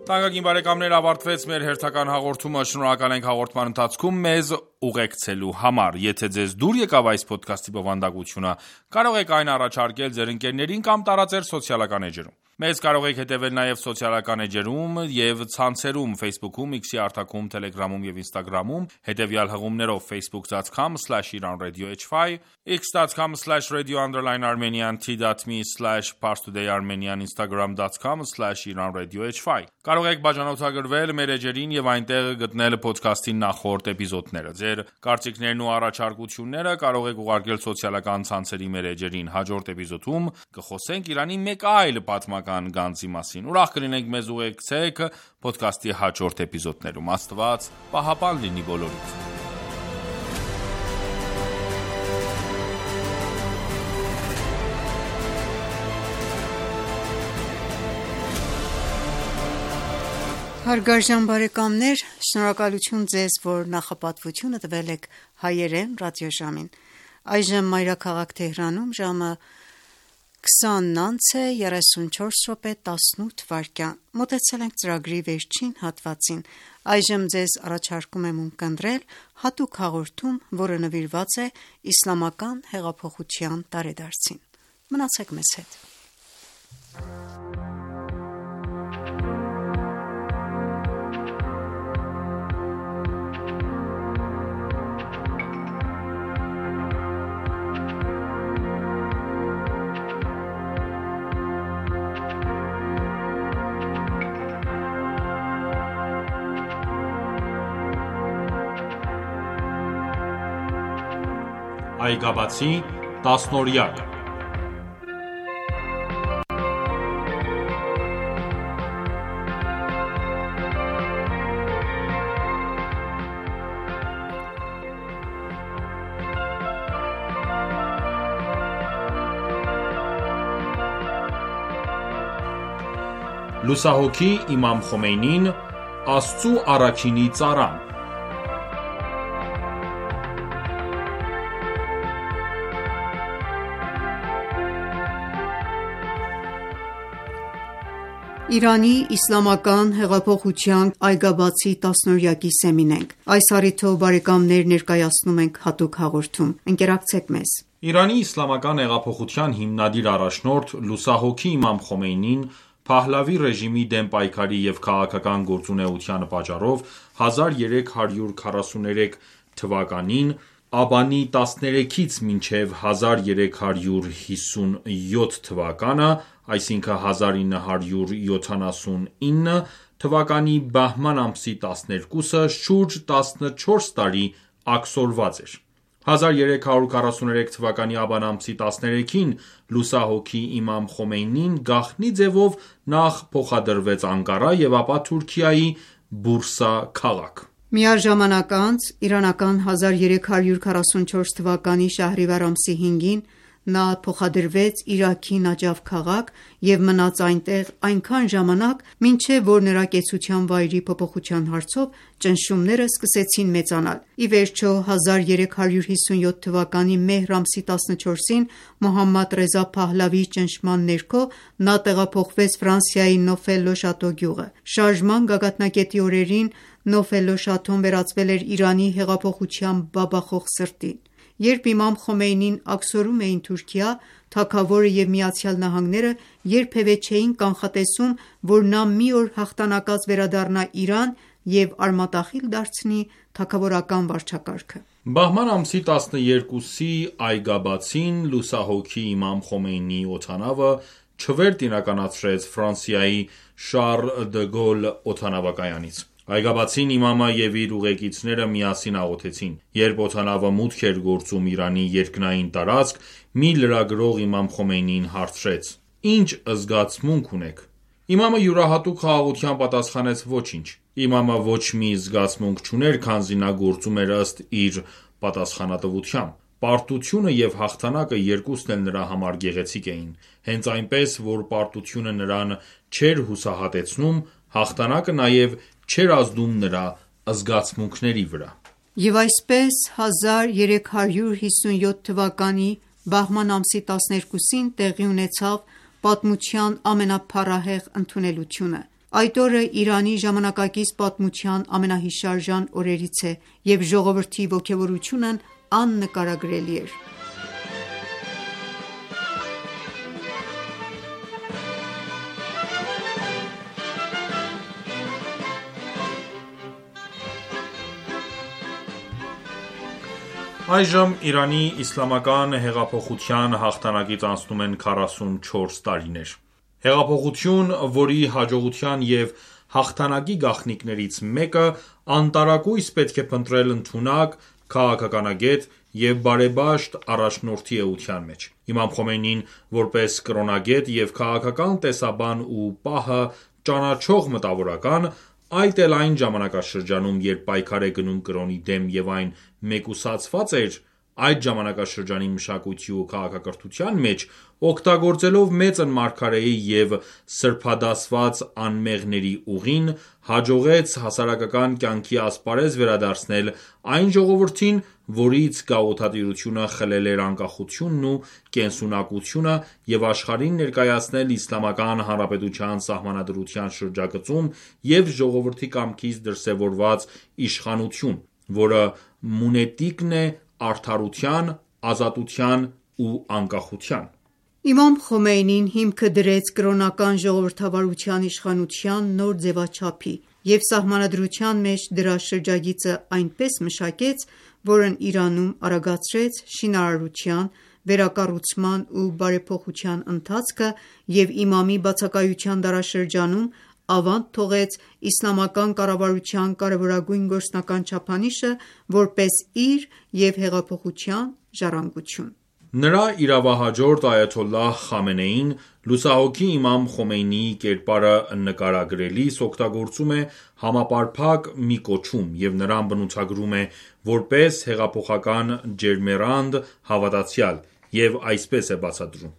Թանկագին բարեկամներ, ավարտվեց մեր հերթական հաղորդումը, շնորհակալ ենք հաղորդման ընթացքում մեզ ուղեկցելու համար։ Եթե ձեզ դուր եկավ այս ոդքասթի բովանդակությունը, կարող եք այն առաջարկել ձեր ընկերներին կամ տարածել սոցիալական էջերում։ Մեզ կարող եք հետևել նաև սոցիալական էջերում և ցանցերում Facebook-ում, X-ի արտակում, Telegram-ում և Instagram-ում, հետևյալ հղումներով facebook.com/iranradio.hy, x.com/radio_armenian, t.me/parstoday-armenian, instagram.com/iranradio.hy։ Կարող եք բաժանորդագրվել մեր էջերին և այնտեղ գտնել ոդքասթի նախորդ էպիզոդները։ Ձեր կարծիքներն ու առաջարկությունները կարող եք ուղարկել սոցիալական ցանցերի մեր էջերին։ Հաջորդ էպիզոդում կխոսենք Իրանի մեկ այլ պատմական գանձի մասին։ Ուրախ կլինենք մեզ ուղեկցեք ոդքասթի հաջորդ էպիզոդներում։ Աստված պահապան լինի բոլորիդ։ Հարգարժան բարեկամներ, շնորհակալություն ձեզ, որ նախապատվությունը տվել եք հայերեն ռադիոժամին։ Այժմ մայրաքաղաք Թեհրանում ժամը 20:34 մոտեցել ենք ծրագրի վերջին հատվածին։ Այժմ ձեզ առաջարկում եմ ունկնդրել հատուկ հաղորդում, որը նվիրված է իսլամական հեղափոխության տարեդարձին։ Մնացեք մեզ հետ։ Այգաբացի տասնօրյակ Լուսահոգի Իմամ Խոմեյնին, Աստծու առաքինի ծառան։ Իրանի իսլամական հեղափոխության այգաբացի տասնօրյակի սեմին ենք։ Այս առիթով բարեկամներ ներկայացնում ենք հատուկ հաղորդում։ Ընկերակցեք մեզ։ Իրանի իսլամական հեղափոխության հիմնադիր առաջնորդ լուսահոգի Իմամ Խոմեյնին Փահլավի ռեժիմի դեմ պայքարի և քաղաքական գործունեության պատճառով 1343 թվականին Աբանի 13-ից մինչև 1357 թվականը, այսինքն 1979 թվականի բահման ամսի 12-ը շուրջ 14 տարի աքսորված էր։ 1343 թվականի աբան ամսի 13-ին լուսահոգի Իմամ Խոմեյնին գաղտնի ձևով նախ փոխադրվեց Անկարա և ապա Թուրքիայի Բուրսա քաղաք։ Միառժամանակ անց իրանական 1344 թվականի շահրիվար ամսի 5-ին Նա փոխադրվեց Իրաքի Նաջաֆ քաղաք և մնաց այնտեղ այնքան ժամանակ, մինչև որ նրա կեցության վայրի փոփոխության հարցով ճնշումները սկսեցին մեծանալ: Ի վերջո 1357 թվականի մեհր ամսի 14-ին Մոհամմադ Ռեզա Փահլավիի ճնշման ներքո նա տեղափոխվեց Ֆրանսիայի Նոֆել-լո-Շատո գյուղը: Շարժման գագաթնակետի օրերին Նոֆել-լո-Շաթոն վերածվել էր Իրանի հեղափոխության բաբախող սրտին: Երբ իմամ Խոմեյնին աքսորում էին Թուրքիա, թագավորը և ԱՄՆ-ը երբևէ չէին կանխատեսում, որ նա մի օր հաղթանակած վերադառնա Իրան և արմատախիլ դարձնի թագավորական վարչակարգը: Բահման ամսի 12-ի այգաբացին լուսահոգի իմամ Խոմեյնիի օդանավը չվերթ իրականացրեց Ֆրանսիայի Շառլ դը Գոլ օդանավակայանից: Այգաբացին իմամը և իր ուղեկիցները միասին աղոթեցին: Երբ օդանավը մուտք էր գործում Իրանի երկնային տարածք, մի լրագրող իմամ Խոմեյնիին հարցրեց. «Ինչ զգացմունք ունեք»: Իմամը յուրահատուկ խաղաղությամբ պատասխանեց. «Ոչինչ»: Իմամը ոչ մի զգացմունք չուներ, քանզի նա գործում էր ըստ իր պատասխանատվության: Պարտությունը և հաղթանակը երկուսն էլ նրա համար գեղեցիկ էին: Հենց այնպես, որ պարտությունը նրան չէր հուսահատեցնում, հաղթանակը նաև չէր ազդում նրա զգացմունքների վրա: Եվ այսպես 1357 թվականի բահման ամսի 12-ին տեղի ունեցավ պատմության ամենափառահեղ ընդունելությունը: Այդ օրը Իրանի ժամանակակից պատմության ամենահիշարժան օրերից է և ժողովրդի ոգևորությունն աննկարագրելի էր: Այժմ Իրանի իսլամական հեղափոխության հաղթանակից անցնում են 44 տարիներ: Հեղափոխություն, որի հաջողության և հաղթանակի գաղտնիքներից մեկը անտարակույս պետք է փնտրել ընդունակ, քաղաքականագետ և բարեպաշտ առաջնորդի էության մեջ: Իմամ Խոմեյնին, որպես կրոնագետ և քաղաքական տեսաբան ու պահը ճանաչող մտավորական, այդ էլ այն ժամանակաշրջանում, երբ պայքար է գնում կրոնի դեմ և այն մեկուսացված էր այդ ժամանակաշրջանի մշակույթի ու քաղաքակրթության մեջ, օգտագործելով մեծն մարգարեի և սրբադասված անմեղների ուղին, հաջողեց հասարակական կյանքի ասպարեզ վերադարձնել այն ժողովրդին, որից գաղութատիրությունը խլել էր անկախությունն ու կենսունակությունը և աշխարհին ներկայացնել Իսլամական Հանրապետության Սահմանադրության շրջագծում և ժողովրդի կամքից դրսևորված իշխանություն, որը մունետիկն է արդարության, ազատության ու անկախության: Իմամ Խոմեյնին հիմքը դրեց կրոնական ժողովրդավարության իշխանության նոր ձևաչափի և Սահմանադրության մեջ դրա շրջագիծը այնպես մշակեց, որն Իրանում արագացրեց շինարարության, վերակառուցման ու բարեփոխության ընթացքը և իմամի բացակայության դարաշրջանում ավանդ թողեց իսլամական կառավարության կարևորագույն գործնական չափանիշը որպես իր և հեղափոխության ժառանգություն: Նրա իրավահաջորդ Այաթոլլահ Խամենեին, լուսահոգի իմամ Խոմեյնիի կերպարը նկարագրելիս օգտագործում է համապարփակ մի կոչում և նրան բնութագրում է որպես հեղափոխական ջերմեռանդ հավատացյալ և այսպես է բացատրում.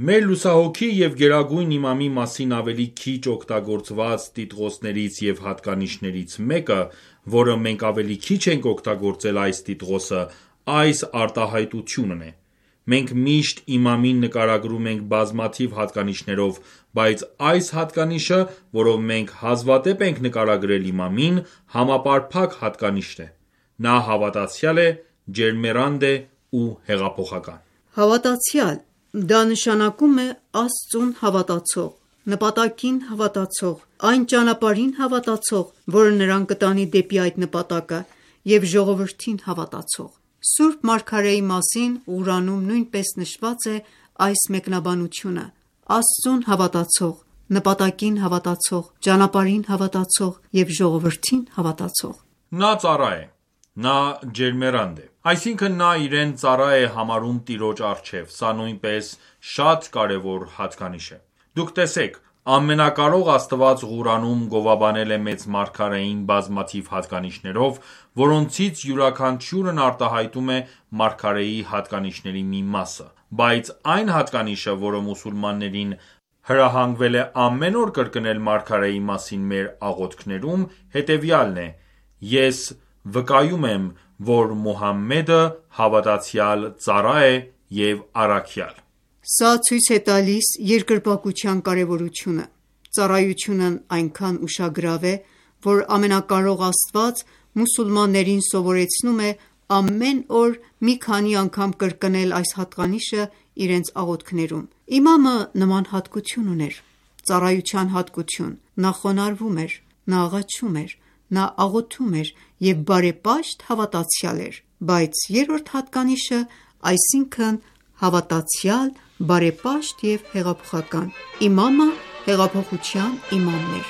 «Մեր լուսահոգի և գերագույն իմամի մասին ավելի քիչ օգտագործված տիտղոսներից և հատկանիշներից մեկը, որը մենք ավելի քիչ ենք օգտագործել այս տիտղոսը, այս արտահայտությունն է: Մենք միշտ իմամին նկարագրում ենք բազմաթիվ հատկանիշներով, բայց այս հատկանիշը, որով մենք հազվադեպ ենք նկարագրել իմամին, համապարփակ հատկանիշն է: Նա հավատացյալ է, ջերմեռանդ է ու հեղափոխական»: Հավատացյալ, դա նշանակում է Աստծուն հավատացող, նպատակին հավատացող, այն ճանապարհին հավատացող, որը նրան կտանի դեպի այդ նպատակը և ժողովրդին հավատացող: Սուրբ Մարգարեի մասին Ղուրանում նույնպես նշված է այս մեկնաբանությունը. Աստծուն հավատացող, նպատակին հավատացող, ճանապարհին հավատացող և ժողովրդին հավատացող: Նա ծառա է: Նա ջերմեռանդ է: Այսինքն նա իրեն ծառա է համարում Տիրոջ առջև: Սա նույնպես շատ կարևոր հատկանիշ է: Դուք տեսեք, Ամենակարող Աստված Ղուրանում գովաբանել է մեծ մարգարեին բազմաթիվ հատկանիշներով, որոնցից յուրաքանչյուրն արտահայտում է մարգարեի հատկանիշների մի մասը: Բայց այն հատկանիշը, որը մուսուլմաններին հրահանգվել է ամեն օր կրկնել մարգարեի մասին մեր աղոթքներում, հետևյալն է. «Ես վկայում եմ, որ Մուհամմեդը հավատացյալ ծառա է և առաքյալ»: Սա ցույց է տալիս երկրպագության կարևորությունը: Ծառայությունն այնքան ուշագրավ է, որ Ամենակարող Աստված մուսուլմաններին սովորեցնում է ամեն օր մի քանի անգամ կրկնել այս հատկանիշը իրենց աղոթքներում: Իմամը նման հատկություն ուներ: Ծառայության հատկություն: Նա խոնարհվում էր, նա աղաչում էր, նա աղոթում էր և բարեպաշտ հավատացյալ էր: Բայց երրորդ հատկանիշը, այսինքն հավատացյալ, բարեպաշտ և հեղափոխական: Իմամը հեղափոխության իմամն էր: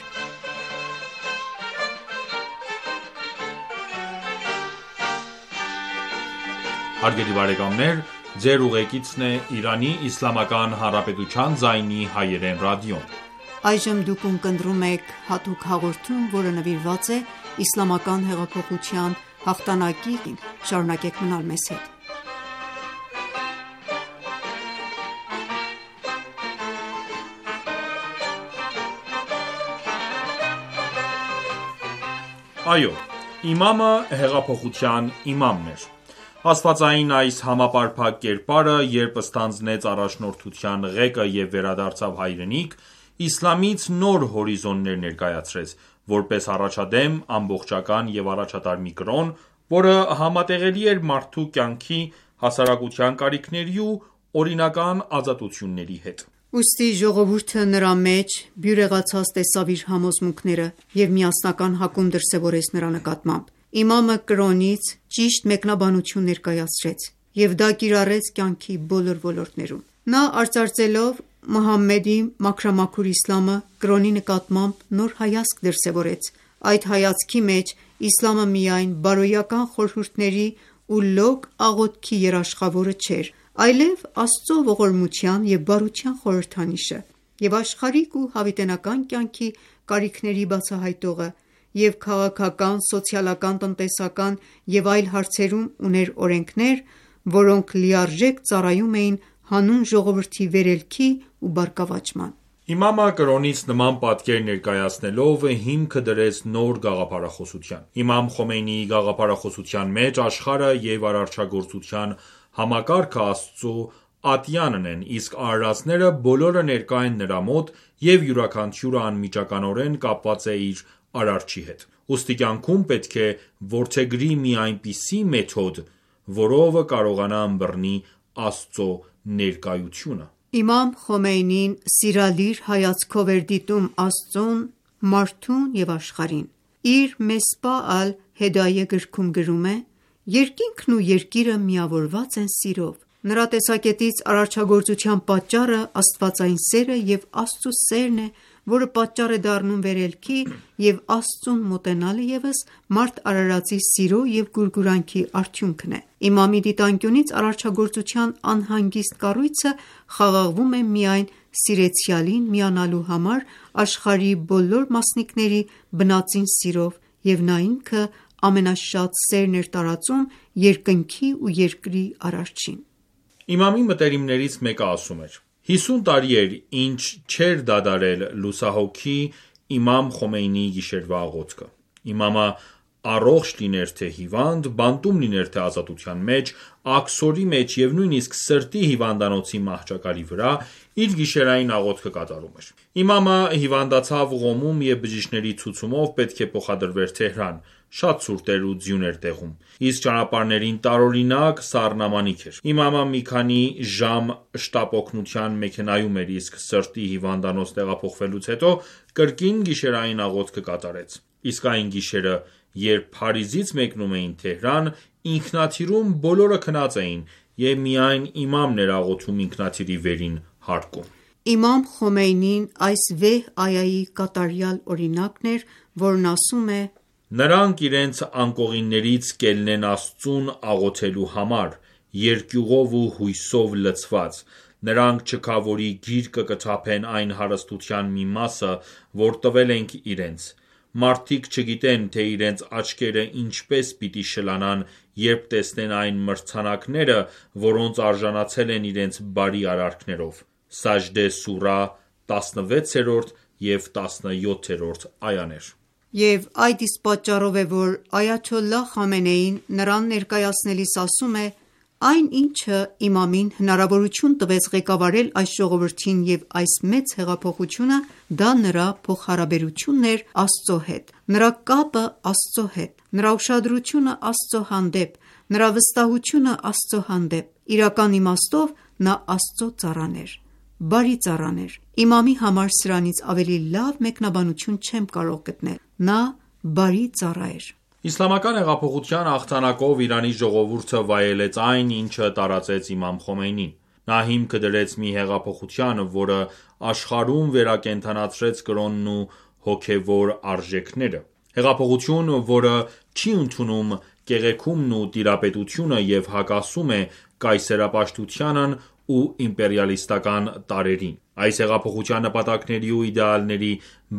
Այո, իմամը հեղափոխության իմամն էր: Աստվածային այս համապարփակ կերպարը, երբ ստանձնեց առաջնորդության ղեկը և վերադարձավ հայրենիք, իսլամից նոր հորիզոններ ներկայացրեց, որպես առաջադեմ, ամբողջական և առաջատար մի կրոն, որը համատեղելի էր մարդու կյանքի, հասարակության կարիքների ու օրինական ազատությունների հետ: Ուստի ժողովուրդը նրա մեջ բյուրեղացած տեսավ իր համոզմունքները և միասնական հակում դրսևորեց նրա նկատմամբ: Իմամը կրոնից ճիշտ մեկնաբանություն ներկայացրեց և դա կիրառեց կյանքի բոլոր ոլորտներում: Նա արծարծելով Մուհամմեդի մաքրամաքուր իսլամը, կրոնի նկատմամբ նոր հայացք դրսևորեց: Այդ հայացքի մեջ իսլամը միայն բարոյական խորհուրդների ու լոկ աղոթքի երաշխավորը չէր, այլև Աստծո ողորմության և բարության խորհրդանիշը և աշխարհիկ ու հավիտենական կյանքի կարիքների բացահայտողը և քաղաքական, սոցիալական, տնտեսական և այլ հարցերում ուներ օրենքներ, որոնք լիարժեք ծառայում էին հանուն ժողովրդի վերելքի ու բարգավաճման: Իմամը կրոնից նման պատկեր ներկայացնելով, հիմքը դրեց նոր գաղափարախոսության: Իմամ Խոմեյնիի գաղափարախոսության մեջ աշխարհը և արարչագործության համակարգը Աստծո ատյանն են, իսկ արարածները բոլորը ներկա են նրա մոտ և յուրաքանչյուրը անմիջականորեն կապված է իր արարչի հետ: Ուստի կյանքում պետք է որդեգրի մի այնպիսի մեթոդ, որով կարողանա ըմբռնի Աստծո ներկայությունը: Իմամ Խոմեյնին սիրալիր հայացքով էր դիտում Աստծուն, մարդուն և աշխարհին: Իր Մեսբահ ալ-Հեդայե գրքում գրում է. «Երկինքն ու երկիրը միավորված են սիրով»: Նրա տեսակետից արարչագործության պատճառը աստվածային սերը և Աստծու սերն է, որը պատճառ է դառնում վերելքի և Աստծուն մոտենալը ևս մարդ արարածի սիրո և գուրգուրանքի արդյունքն է: Իմամի դիտանկյունից արարչագործության անհանգիստ կառույցը խաղաղվում է միայն սիրեցյալին միանալու համար աշխարհի բոլոր մասնիկների բնածին սիրով և նա ինքը ամենաշատ սերն էր տարածում երկնքի ու երկրի արարչին: Իմամի մտերիմներից մեկը ասում էր. 50 տարի էր ինչ չէր դադարել լուսահոգի իմամ Խոմեյնիի գիշերվա աղոթքը: Իմամը առողջ լիներ թե հիվանդ, բանտում լիներ թե ազատության մեջ, աքսորի մեջ և նույնիսկ սրտի հիվանդանոցի մահճակալի վրա, իր գիշերային աղոթքը կատարում էր: Իմամը հիվանդացավ Ղոմում և բժիշկների ցուցումով պետք է փոխադրվեր Թեհրան: Շատ ցուրտ էր ու ձյուն էր տեղում, իսկ ճանապարհներին տարօրինակ սառնամանիք էր: Իմամը մի քանի ժամ շտապօգնության մեքենայում էր, իսկ սրտի հիվանդանոց տեղափոխվելուց հետո կրկին գիշերային աղոթքը կատարեց: Իսկ այն գիշերը, երբ Փարիզից մեկնում էին Թեհրան, ինքնաթիռում բոլորը քնած էին և միայն իմամն էր աղոթում ինքնաթիռի վերին հարկում: Իմամ Խոմեյնին այս վեհ այայի կատարյալ օրինակն էր, որն ասում է. «Նրանք իրենց անկողիններից կելնեն Աստծուն աղոթելու համար՝ երկյուղով ու հույսով լցված, Նրանք չքավորի գիրկը կթափեն այն հարստության մի մասը, որ տվել ենք իրենց: Մարդիկ չգիտեն, թե իրենց աչքերը ինչպես պիտի շլանան, երբ տեսնեն այն մրցանակները, որոնց արժանացել են իրենց բարի արարքներով: Սաջդե սուրահ 16 և 17-րդ այաներ։ Եվ այդ իսկ պատճառով է, որ այաթոլլահ Խամենեին նրան ներկայացնելիս ասում է. «Այն ինչը իմամին հնարավորություն տվեց ղեկավարել այս ժողովրդին և այս մեծ հեղափոխությունը, դա նրա փոխհարաբերությունն էր Աստծո հետ, նրա կապը Աստծո հետ, նրա ուշադրությունը Աստծո հանդեպ, նրա վստահությունը Աստծո հանդեպ: Իրական իմաստով նա Աստծո ծառան էր, բարի ծառան էր: Իմամի համար սրանից ավելի լավ մեկնաբանություն չեմ կարող գտնել: Նա բարի ծառա էր»: Իսլամական հեղափոխության հաղթանակով Իրանի ժողովուրդը վայելեց այն, ինչը տարածեց իմամ Խոմեյնին: Նա հիմքը դրեց մի հեղափոխության, որը աշխարհում վերակենդանացրեց կրոնն ու հոգևոր արժեքները: Հեղափոխություն, որը չի ընդունում կեղեքումն ու տիրապետությունը և հակասում է կայսերապաշտությանն ու իմպերիալիստական տարրերին: Այս հեղափոխության նպատակների ու իդեալների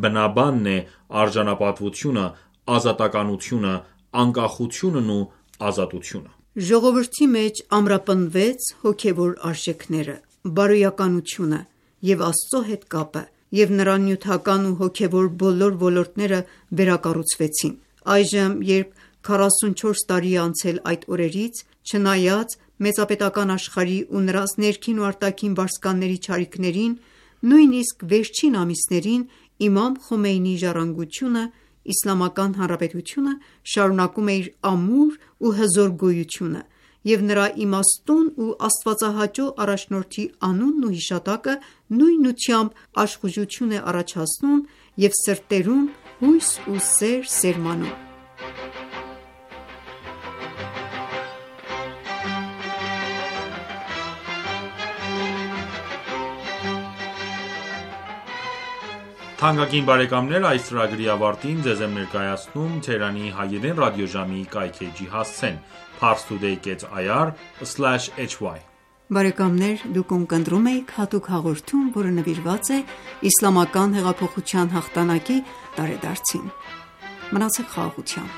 բնաբանն է արժանապատվությունը, ազատականությունը, անկախությունն ու ազատությունը: Ժողովրդի մեջ ամրապնդվեց հոգևոր արժեքները, բարոյականությունը և Աստծո հետ կապը և նրան նյութական ու հոգևոր բոլոր ոլորտները վերակառուցվեցին: Այժմ, երբ 44 տարի է անցել այդ օրերից, չնայած մեծապետական աշխարհի ու նրանց ներքին ու արտաքին վարձկանների չարիքներին, նույնիսկ վերջին ամիսներին իմամ Խոմեյնիի ժառանգությունը, Իսլամական Հանրապետությունը շարունակում է իր ամուր ու հզոր գոյությունը և նրա իմաստուն ու աստվածահաճո առաջնորդի անունն ու հիշատակը նույնությամբ աշխուժություն է առաջացնում և սրտերում հույս ու սեր սերմանում: Թանկագին բարեկամներ, այս ծրագրի ավարտին ձեզ եմ ներկայացնում Թեհրանի հայերեն ռադիոժամի կայքէջի հասցեն՝ parstoday.ir/hy: Դուք ունկնդրում էիք հատուկ հաղորդում, որը նվիրված է Իսլամական հեղափոխության հաղթանակի տարեդարձին: Մնացեք խաղաղությամբ: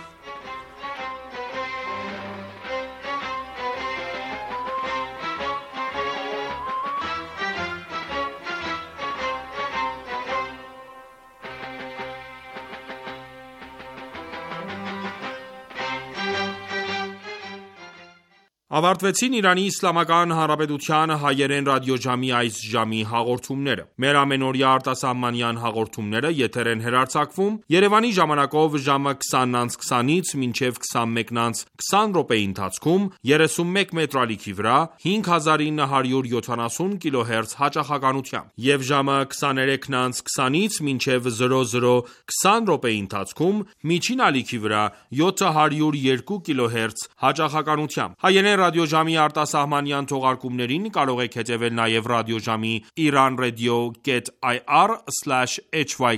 Ավարտվեցին Իրանի Իսլամական Հանրապետության հայերեն ռադիոժամի այս ժամի հաղորդումները: Մեր ամենօրյա արտասահմանյան հաղորդումները եթեր են հեռարձակվում Երևանի ժամանակով ժամը 20:20-ից մինչև 21:20 րոպեի ընթացքում 31 մետրալիքի վրա 5970 kHz հաճախականությամբ և ժամը 23:20-ից մինչև 00:20 րոպեի ընթացքում միջին ալիքի վրա 702 kHz հաճախականությամբ: Հայերեն ռադիոժամի արտասահմանյան թողարկումներին կարող եք հետևել նաև ռադիոժամի iranradio.ir/hy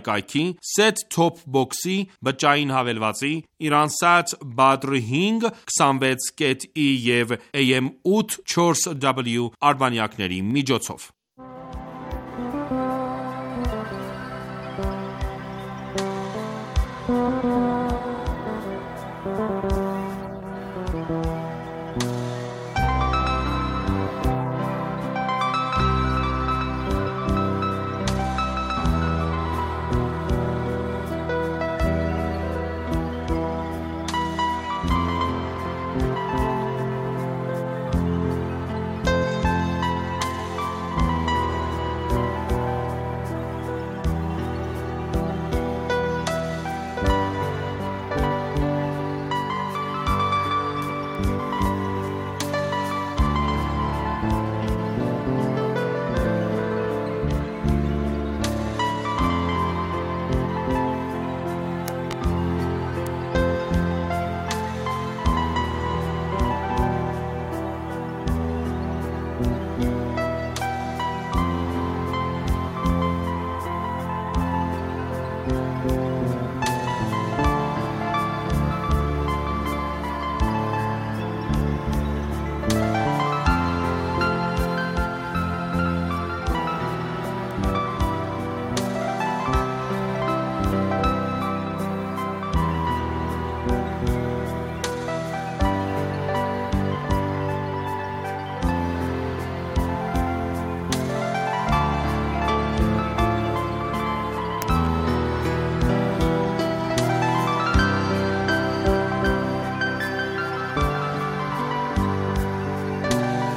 կայքի, set-top box-ի, բջջային հավելվածի, Iransat Badr 5 26.E և AM 8 4W արբանյակների միջոցով: